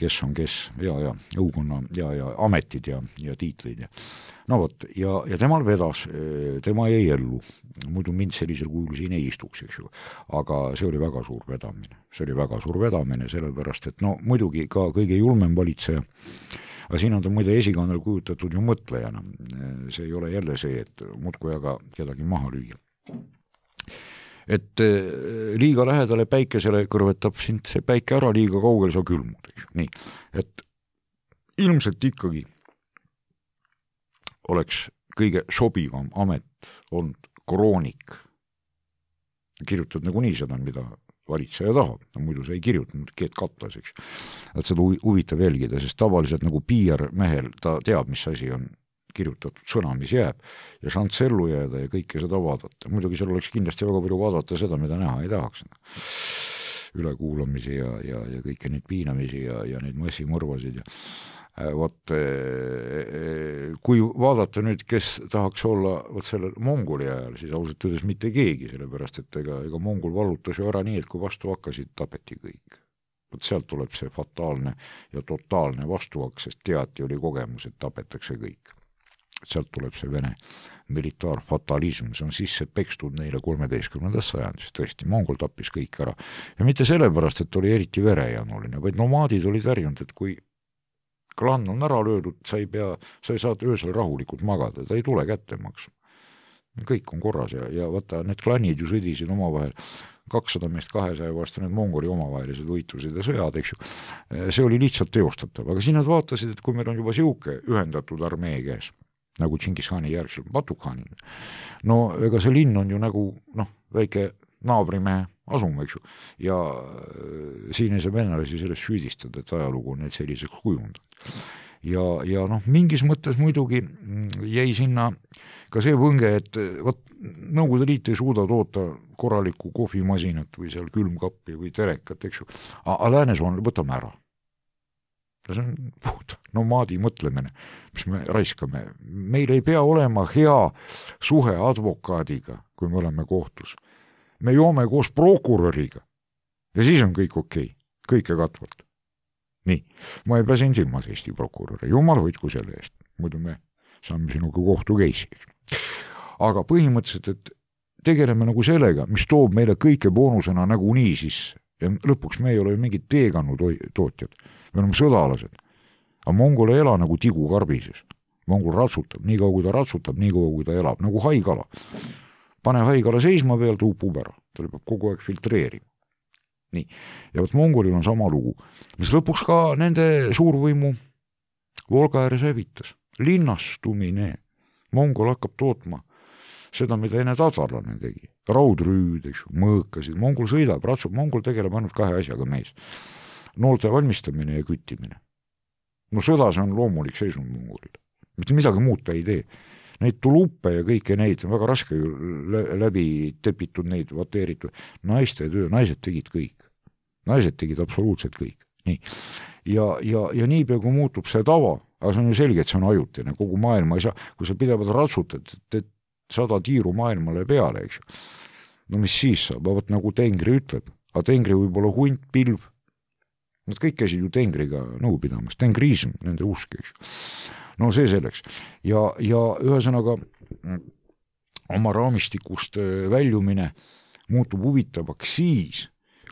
kes on kes, ja õukonna ja ametid ja tiitlid. Ja temal vedas, tema jäi ellu, muidu mind sellisel kujul siin ei istuks, eks ju, aga see oli väga suur vedamine, sellepärast, et muidugi ka kõige julmem valitseja, aga siin on ta muide esikannal kujutatud ju mõtlejana, see ei ole jälle see, et muudkui aga kedagi maha lüüa. Et liiga lähedale päikesele kõrvetab sind see päike ära, liiga kaugel sa külmud. Nii, et ilmselt ikkagi oleks kõige sobivam amet olnud kroonik. Kirjutad nagu nii seda, mida valitseja tahab, muidu sa ei kirjutanud keet katlas, eks. Et seda huvitav jälgida, sest tavaliselt nagu PR-mehel ta teab, mis asi on kirjutatud sõna, mis jääb ja šanss ellu jääda ja kõike seda vaadata. Muidugi seal oleks kindlasti väga palju vaadata seda, mida näha ei tahaks. Ülekuulamisi ja kõike neid piinamisi ja neid massimõrvasid. Kui vaadata nüüd, kes tahaks olla sellel Mongoli ajal, siis ausalt öeldes mitte keegi, sellepärast, et ega Mongol vallutas ju ära nii, et kui vastu hakkasid, tapeti kõik. Sealt tuleb see fataalne ja totaalne vastuhakk, sest teati oli kogemus, et tapetakse kõik. Sealt tuleb see Vene militaarfatalism, see on sisse pekstud neile 13. sajandis, tõesti, Mongol tappis kõik ära. Ja mitte sellepärast, et oli eriti verejanuline, vaid nomaadid olid ärjunud, et kui klann on ära löödud, sa ei saa öösel rahulikult magada, ta ei tule kätte maksma. Kõik on korras ja vaata, need klannid ju sõdisid omavahel 200 meest 200 vastu, need Mongoli omavahelised võitlused ja sõjad, eks ju. See oli lihtsalt teostatav, aga siin nad vaatasid, et kui meil on juba siuke ühendatud armee käes, nagu Tšingis Khani järgsel Batukhanil, ega see linn on ju nagu väike naabrimehe, asume, eks ju. Ja siin ei saa venelasi sellest süüdistada, et ajalugu on need selliseks kujundanud. Ja noh, mingis mõttes muidugi jäi sinna ka see võnge, et võt, Nõukogude Liit ei suuda toota korralikku kohvimasinat või seal külmkappi või terekat, eks ju. Aga läänes on, võtame ära. See on puht nomaadi mõtlemine, mis me raiskame. Meil ei pea olema hea suhe advokaadiga, kui me oleme kohtus. Me joome koos prokuröriga ja siis on kõik okei, kõike katvalt. Nii, ma ei pääsen silmas Eesti prokuröre, jumal hoidku selle eest, muidu me saame sinuga kohtu keisi. Aga põhimõtteliselt, et tegeleme nagu sellega, mis toob meile kõike boonusena nagu nii sisse. Ja lõpuks me ei ole mingid teekannu tootjad, me oleme sõdalased. Aga Mongol ei ela nagu tigu karbises. Mongol ratsutab, nii kaua kui ta ratsutab, nii kaua kui ta elab, nagu haigala. Pane haigala seisma veel, ta upub ära, ta peab kogu aeg filtreerima. Nii. Ja võt Mongolil on sama lugu, mis lõpuks ka nende suurvõimu Volga ääres hävitas. Linnastumine. Mongol hakkab tootma seda, mida enne tatarlane tegi. Raudrüüd, mõõkasid. Mongol sõidab, ratsub. Mongol tegeleb ainult kahe asjaga mees. Noolte valmistamine ja küttimine. No sõda, see on loomulik seisund Mongolil. Mitte midagi muud ta ei tee. Neid tuluppe ja kõike neid on väga raske läbi tepitud, neid vateeritud. Naiste töö, naised tegid kõik. Naised tegid absoluutselt kõik. Nii. Ja niipea, kui muutub see tava, aga see on ju selge, et see on ajutine, kogu maailma ei saa, kui sa pidevalt ratsutad, et 100 tiiru maailmale peale, eks ju. No mis siis saab, võt nagu Tengri ütleb, aga Tengri võib olla hunt, pilv, nad kõik käisid ju Tengriga nõu pidamas, tengriism, nende usk, eks ju. No see selleks. Ja ühesõnaga oma raamistikust väljumine muutub huvitavaks siis,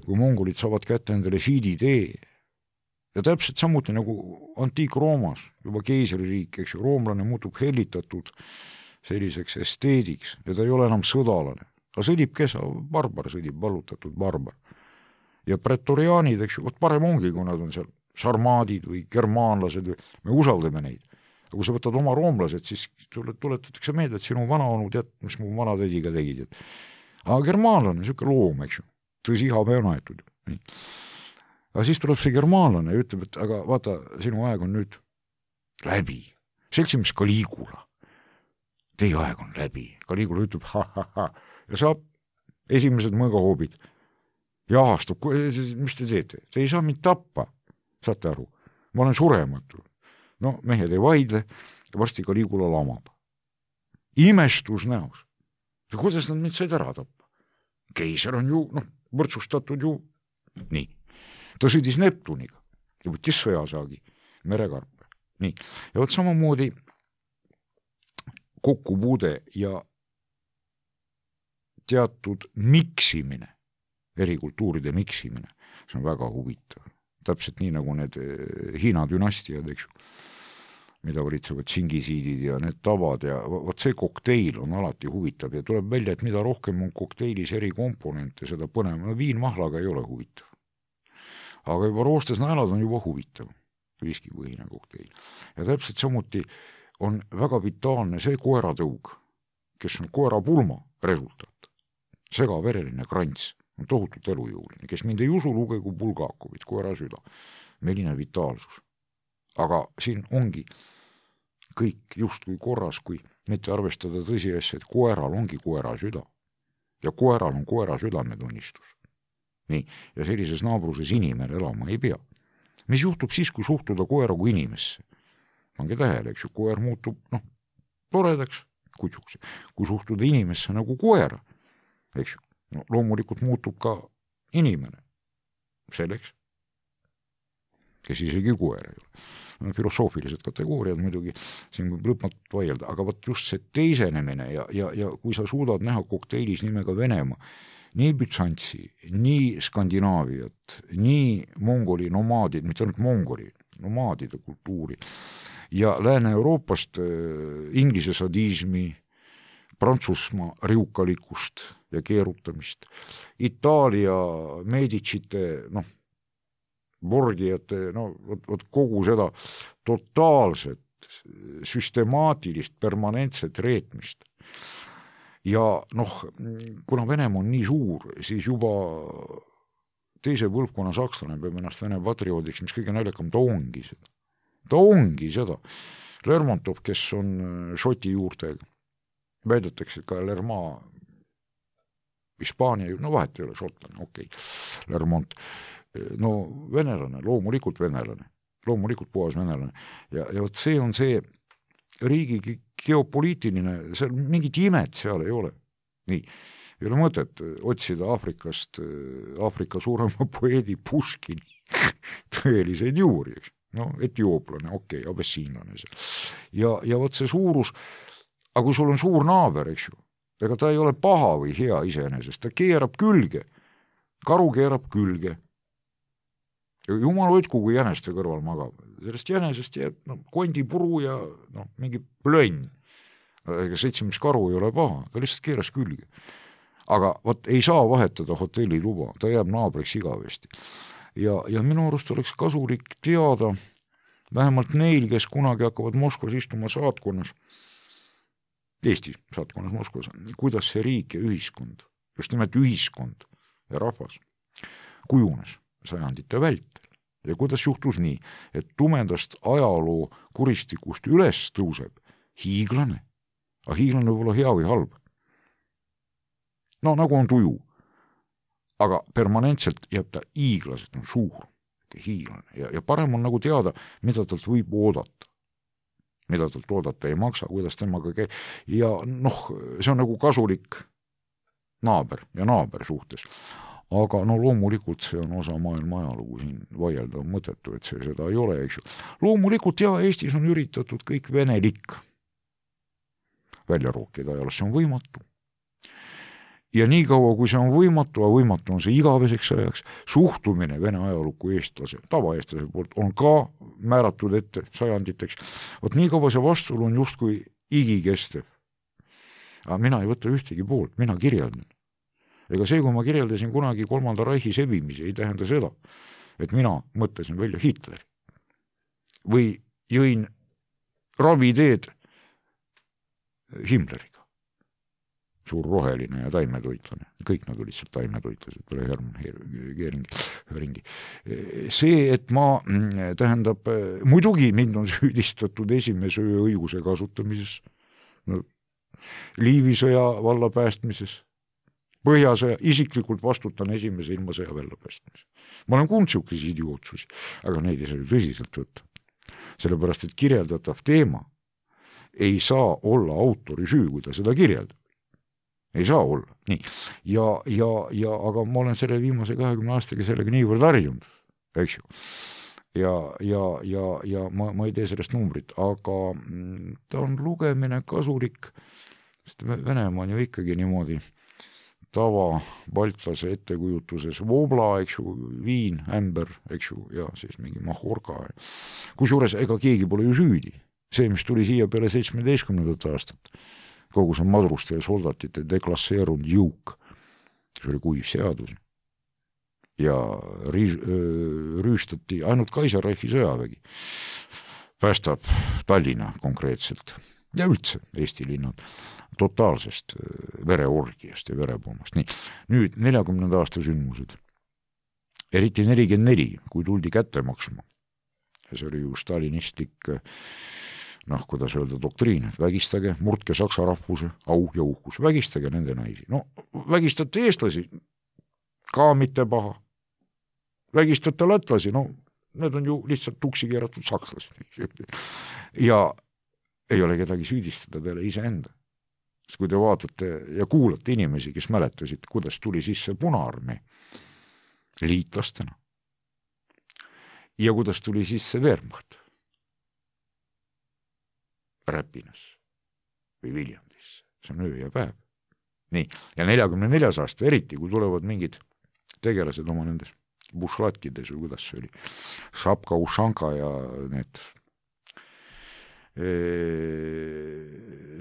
kui mongolid saavad kätte endale Fidi-tee. Ja täpselt samuti nagu Antiik-Roomas, juba keisririik, eks ju, roomlane muutub hellitatud selliseks esteediks ja ta ei ole enam sõdalane. Aga sõdib kesa, barbar sõdib, vallutatud barbar. Ja pretoriaanid, eks ju, parem ongi, kui nad on seal sarmaadid või germaanlased, me usaldame neid. Aga kui sa võtad oma roomlased, siis tuletatakse meelde, et sinu vanaonu tead, mis mu vanatädiga tegid. Aga germaanlane, niisugune loom, eks ju, tõsi ihapäev on aetud. Nii. Aga siis tuleb see germaanlane ja ütleb, et aga vaata, sinu aeg on nüüd läbi. Seltsimees Caligula. Teie aeg on läbi. Caligula ütleb, ha. Ja saab esimesed mõõgahoobid. Ja ahastab, mis te teete? Te ei saa mind tappa. Saate aru? Ma olen surematu. No, mehed ei vaidle. Varsti Caligula lamab. Imestus näos. Ja kuidas nad mind said ära tappa? Keiser on ju, võrdsustatud ju. Nii. Ta sõdis Neptuniga ja võttis sõjasaagi, merekarpe. Nii. Ja võt samamoodi kokkupuude ja teatud miksimine, eri kultuuride miksimine, see on väga huvitav. Täpselt nii nagu need Hiina dünastiad, eks ju, mida valitsevad tšingisiidid ja need tavad ja võt see kokteil on alati huvitav ja tuleb välja, et mida rohkem on kokteilis eri komponente, seda põnev. No viinmahlaga ei ole huvitav. Aga juba roostes naelad on juba huvitav, viskipõhine kokteil. Ja täpselt samuti on väga vitaalne see koeratõug, kes on koerapulma resultaat. Segavereline krants on tohutult elujõuline, kes mind ei usu, lugegu Bulgakovit, koera süda. Milline vitaalsus. Aga siin ongi kõik just kui korras, kui mitte arvestada tõsiasja, et koeral ongi koera süda. Ja koeral on koera südametunnistus. Nii, ja sellises naabruses inimene elama ei pea. Mis juhtub siis, kui suhtuda koera kui inimesse? Pange tähele, eks ju, koer muutub, toredaks, kutsuks. Kui suhtuda inimesse nagu koera, eks ju, loomulikult muutub ka inimene. Selleks, kes isegi koer ei ole. Filosoofilised kategooriad muidugi, siin võib lõpmatult vaielda, aga võt just see teisenemine ja kui sa suudad näha kokteilis nimega Venemaa, nii Bütsantsi, nii Skandinaaviat, nii mongoli nomaadid, mitte ainult mongoli, nomaadide kultuuri ja Lääne-Euroopast inglise sadismi, Prantsusmaa riukalikust ja keerutamist, Itaalia Medicite, Borgiate, kogu seda totaalset, süstemaatilist, permanentset reetmist. ja noh, kuna Venemaa on nii suur, siis juba teise põlvkonna sakslane peab ennast Vene patrioodiks, mis kõige naljakam, ta ongi seda. Lermontov, kes on šoti juurtega, väidetakse ka Lerma Hispaania, no vahet ei ole, šotlane, okei, Lermont, no venelane, loomulikult puhas venelane ja vot see on see riigi geopoliitiline, seal mingit imet seal ei ole. Nii, ei ole mõtet otsida Aafrika suurema poeedi Puškini tõeliseid juuri, eks. No, etiooplane, okei, abessiinlane seal. Ja vot see suurus, aga kui sul on suur naaber, eks ju, ega ta ei ole paha või hea iseenesest, ta keerab külge, karu keerab külge. Jumal hoidku, kui jäneste kõrval magab. Sellest jänesest jääb kondipuru ja mingi plönn. Ega 7 karu ei ole paha, ta lihtsalt keeras külge. Aga vot ei saa vahetada hotelliluba, ta jääb naabriks igavesti. Ja minu arust oleks kasulik teada, vähemalt neil, kes kunagi hakkavad Moskvas istuma saatkonnas, Eesti saatkonnas Moskvas, kuidas see riik ja ühiskond, just nimelt ühiskond ja rahvas kujunes sajandite vältel. Ja kuidas juhtus nii, et tumedast ajaloo kuristikust üles tõuseb hiiglane. Aga hiiglane võib olla hea või halb. No nagu on tuju. Aga permanentselt jääb ta hiiglaselt suur, hiiglane. Ja parem on nagu teada, mida talt võib oodata. Mida talt oodata ei maksa, kuidas temaga käib. Ja see on nagu kasulik naaber ja naaber suhtes. Aga loomulikult see on osa maailma ajalugu, siin vaielda on mõttetu, et see seda ei ole, eks ju. Loomulikult Eestis on üritatud kõik venelik välja rookida ajaloos, see on võimatu. Ja nii kaua, kui see on võimatu, aga võimatu on see igaveseks ajaks, suhtumine vene ajalukku eestlase, tavaeestlase poolt on ka määratud ette sajanditeks. Vot nii kaua see vastul on justkui igikestev. Aga mina ei võta ühtegi poolt, mina kirjeldan. Ega see, kui ma kirjeldasin kunagi 3. Reichi sebimise, ei tähenda seda, et mina mõtlesin välja Hitleri. Või jõin raviteed Himmleriga. Suur roheline ja taimetoitlane. Kõik nad olid seal taimetoitlased, peale Hermann Göringi. See, et ma, tähendab, muidugi mind on süüdistatud esimese õiguse kasutamises, Liivisõja valla päästmises, Põhjasõja, isiklikult vastutan esimese ilmasõja välja päästmises. Ma olen kuulnud siukesi idiootsusi, aga neid ei saa tõsiselt võtta. Sellepärast, et kirjeldatav teema ei saa olla autori süü, kui ta seda kirjeldab. Ei saa olla. Nii. Aga ma olen selle viimase 20 aastaga sellega niivõrd harjunud, eks ju. Ja ma ei tee sellest numbrit, aga ta on lugemine kasulik, sest Venemaa on ju ikkagi niimoodi tava baltlase ettekujutuses voobla, eks ju, viin, ämber, eks ju, ja siis mingi mahorka. Kusjuures ega keegi pole ju süüdi. See, mis tuli siia peale 17. aastat, kogu see madruste ja soldatite deklasseerunud jõuk, see oli kuiv seadus. Ja rüüstati ainult Kaiserreichi sõjavägi. Päästab Tallinna konkreetselt ja üldse Eesti linnad totaalsest vereorgiast ja verepommast. Nii, nüüd 40. aasta sündmused. Eriti 44, kui tuldi kätte maksma. Ja see oli ju stalinistlik, kuidas öelda, doktriin, et vägistage, murdke saksa rahvuse, au ja uhkus, vägistage nende naisi. Vägistate eestlasi, ka mitte paha. Vägistate latlasi, need on ju lihtsalt tuksi keeratud sakslased. Ja ei ole kedagi süüdistada peale iseenda. Sest kui te vaatate ja kuulate inimesi, kes mäletasid, kuidas tuli sisse Punaarmee liitlastena ja kuidas tuli sisse Wehrmacht Räpinas või Viljandisse. See on öö ja päev. Nii, ja 44. aasta, eriti kui tulevad mingid tegelased oma nendes bušlatkides või kuidas see oli, Šapka, Ušanka ja need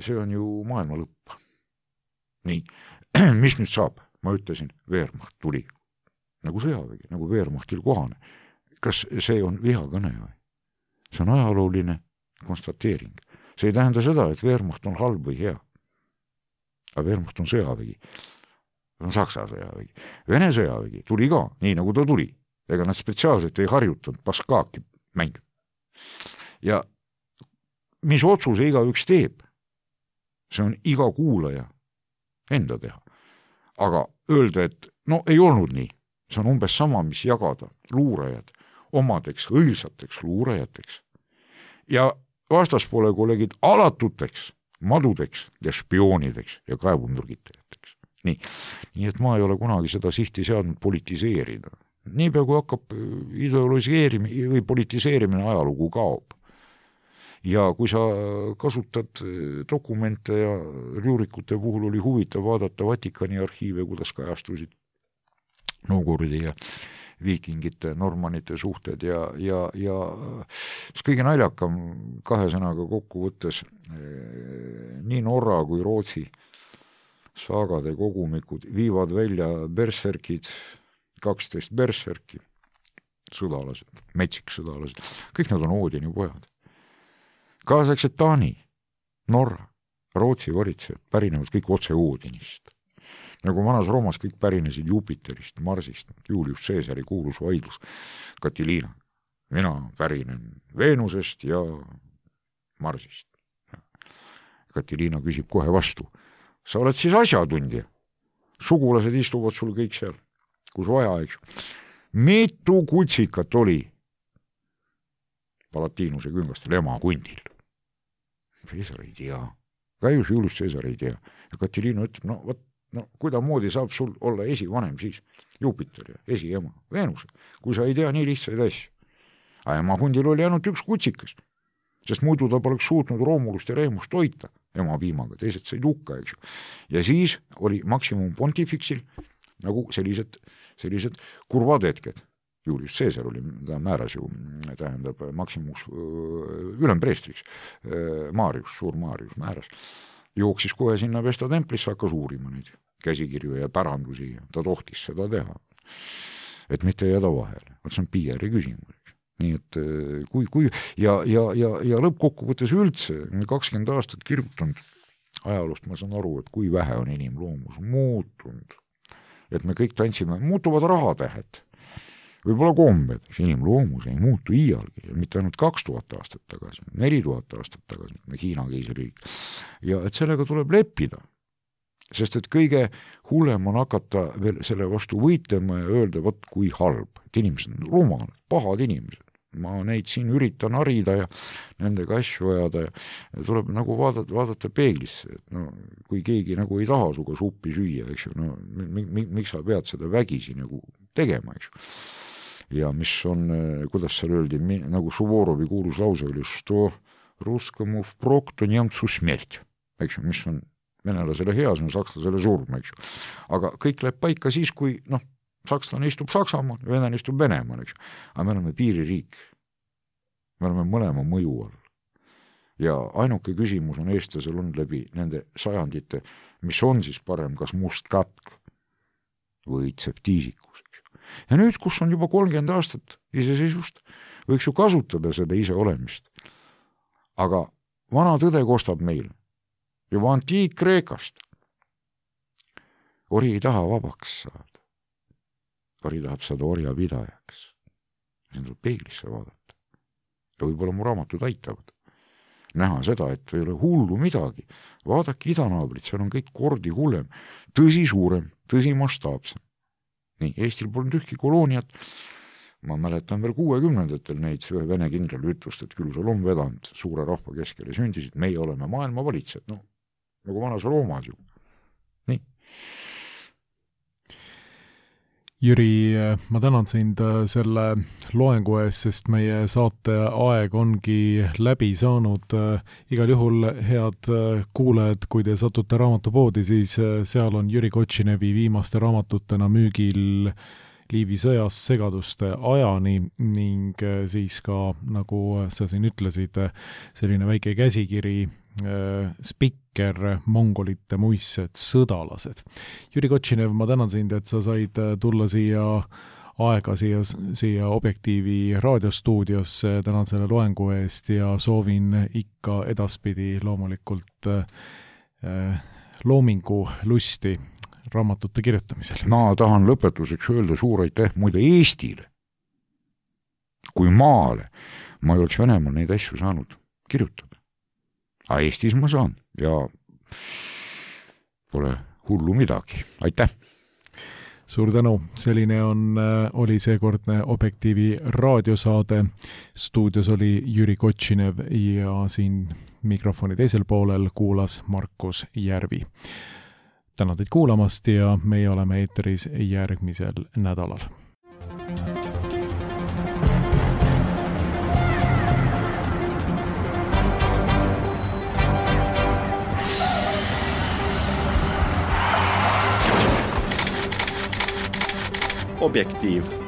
see on ju maailma lõpp. Nii, mis nüüd saab? Ma ütlesin, Wehrmacht tuli nagu sõjavägi, nagu Wehrmachtil kohane. Kas see on vihakõne või? See on ajalooline konstateering. See ei tähenda seda, et Wehrmacht on halb või hea. aga Wehrmacht on sõjavägi, on Saksa sõjavägi. Vene sõjavägi tuli ka, nii nagu ta tuli. Ega nad spetsiaalselt ei harjutanud paskaaki mängida. Ja mis otsuse igaüks teeb, see on iga kuulaja enda teha. Aga öelda, et no ei olnud nii, see on umbes sama, mis jagada luurajad omadeks õilsateks luurajateks ja vastaspoole kolleegid alatuteks madudeks ja spioonideks ja kaevumürgitajateks. Nii et ma ei ole kunagi seda sihti seadnud politiseerida. Niipea kui hakkab ideologiseerimine või politiseerimine ajalugu kaob. Ja kui sa kasutad dokumente ja rüürikute puhul oli huvitav vaadata Vatikani arhiive, kuidas kajastusid Novgorodi ja viikingite, normanite suhted ja kõige naljakam kahe sõnaga kokku võttes nii Norra kui Rootsi saagade kogumikud viivad välja berserkid, 12 berserki, sõdalased, metsiksõdalased, kõik nad on Oodini pojad. Kaasaegsed Taani, Norra, Rootsi varitsejad pärinevad kõik otse Oodinist. Nagu vanas Roomas kõik pärinesid Jupiterist, Marsist, Julius Caesari kuulus vaidlus Katiliina. Mina pärinen Veenusest ja Marsist. Katiliina küsib kohe vastu. Sa oled siis asjatundja. Sugulased istuvad sul kõik seal, kus vaja, eks. Mitu kutsikat oli Palatiinuse küngastel ema kundil? Caesar ei tea. Gaius Julius Caesar ei tea. Ja Katiliina ütleb, no kuidamoodi saab sul olla esivanem siis Jupiter ja esiema Veenus, kui sa ei tea nii lihtsaid asju. Aga ema kundil oli ainult üks kutsikas, sest muidu ta poleks suutnud Roomulust ja Reemust toita ema piimaga, teised said hukka, eks. Ja siis oli maksimum pontifixil nagu sellised kurvad hetked. Julius Caesar oli, ta määras ju, tähendab maksimus ülempreestriks, Maarius, suur Maarius määras. Jooksis kohe sinna Vesta templisse, hakkas uurima neid käsikirju ja pärandusi ja ta tohtis seda teha. Et mitte jääda vahele. See on PR-i küsimus. Nii et kui ja lõppkokkuvõttes üldse 20 aastat kirjutanud ajaloost, ma saan aru, et kui vähe on inimloomus muutunud. Et me kõik tantsime, muutuvad rahatähed. Võib-olla kombed, inimloomus ei muutu iialgi, mitte ainult 2000 aastat tagasi, 4000 aastat tagasi, Hiina keisriik. Ja et sellega tuleb leppida, sest et kõige hullem on hakata veel selle vastu võitlema ja öelda, võt kui halb, et inimesed on rumalad, pahad inimesed. Ma neid siin üritan harida ja nendega asju ajada ja tuleb nagu vaadata peeglisse, et no, kui keegi nagu ei taha suga suppi süüa, eks ju, no, miks sa pead seda vägisi nagu tegema, eks ju. Ja mis on, kuidas seal öeldi, nagu Suvorovi kuulus lause oli, что русскому впрок, то немцу смерть, eks ju, mis on venelasele hea, see on sakslasele surm, eks ju. Aga kõik läheb paika siis, kui sakslane istub Saksamaal, venelane istub Venemaal, eks ju. Aga me oleme piiririik. Me oleme mõlema mõju all. Ja ainuke küsimus on eestlasel on läbi nende sajandite, mis on siis parem, kas must katk või tseptiisikus, eks ju. Ja nüüd, kus on juba 30 aastat iseseisvust, võiks ju kasutada seda ise olemist. Aga vana tõde kostab meil juba antiik-Kreekast. Ori ei taha vabaks saada. Ori tahab saada orja pidajaks. Siin tuleb peeglisse vaadata. Ja võib-olla mu raamatud aitavad. Näha seda, et ei ole hullu midagi. Vaadake idanaabrit, seal on kõik kordi hullem. Tõsi suurem, tõsi mastaapsem. Nii, Eestil polnud ühtki kolooniat. Ma mäletan veel 60-ndatel neid vene kindral ütlust, et küll sul on vedanud suure rahva keskele sündisid, meie oleme maailma valitsed, no, nagu vanas Roomas ju. Nii. Jüri, ma tänan sind selle loengu ees, sest meie saate aeg ongi läbi saanud. Igal juhul head kuulajad, kui te satute raamatupoodi, siis seal on Jüri Kotšinevi viimaste raamatutena müügil Liivi sõjast segaduste ajani ning siis ka, nagu sa siin ütlesid, selline väike käsikiri spikker mongolite muissed sõdalased. Jüri Kotšinev, ma tänan sind, et sa said tulla siia aega siia Objektiivi raadiostuudiosse, tänan selle loengu eest ja soovin ikka edaspidi loomulikult loomingu lusti raamatute kirjutamisel? Ma tahan lõpetuseks öelda suur aitäh muide Eestile. Kui maale ma ei oleks Venemaal neid asju saanud kirjutada. Aga Eestis ma saan ja pole hullu midagi. Aitäh! Suur tänu, selline oli seekordne Objektiivi raadiosaade. Stuudios oli Jüri Kotšinev ja siin mikrofoni teisel poolel kuulas Markus Järvi. Tänan teid kuulamast ja meie oleme eeteris järgmisel nädalal. Objektiiv.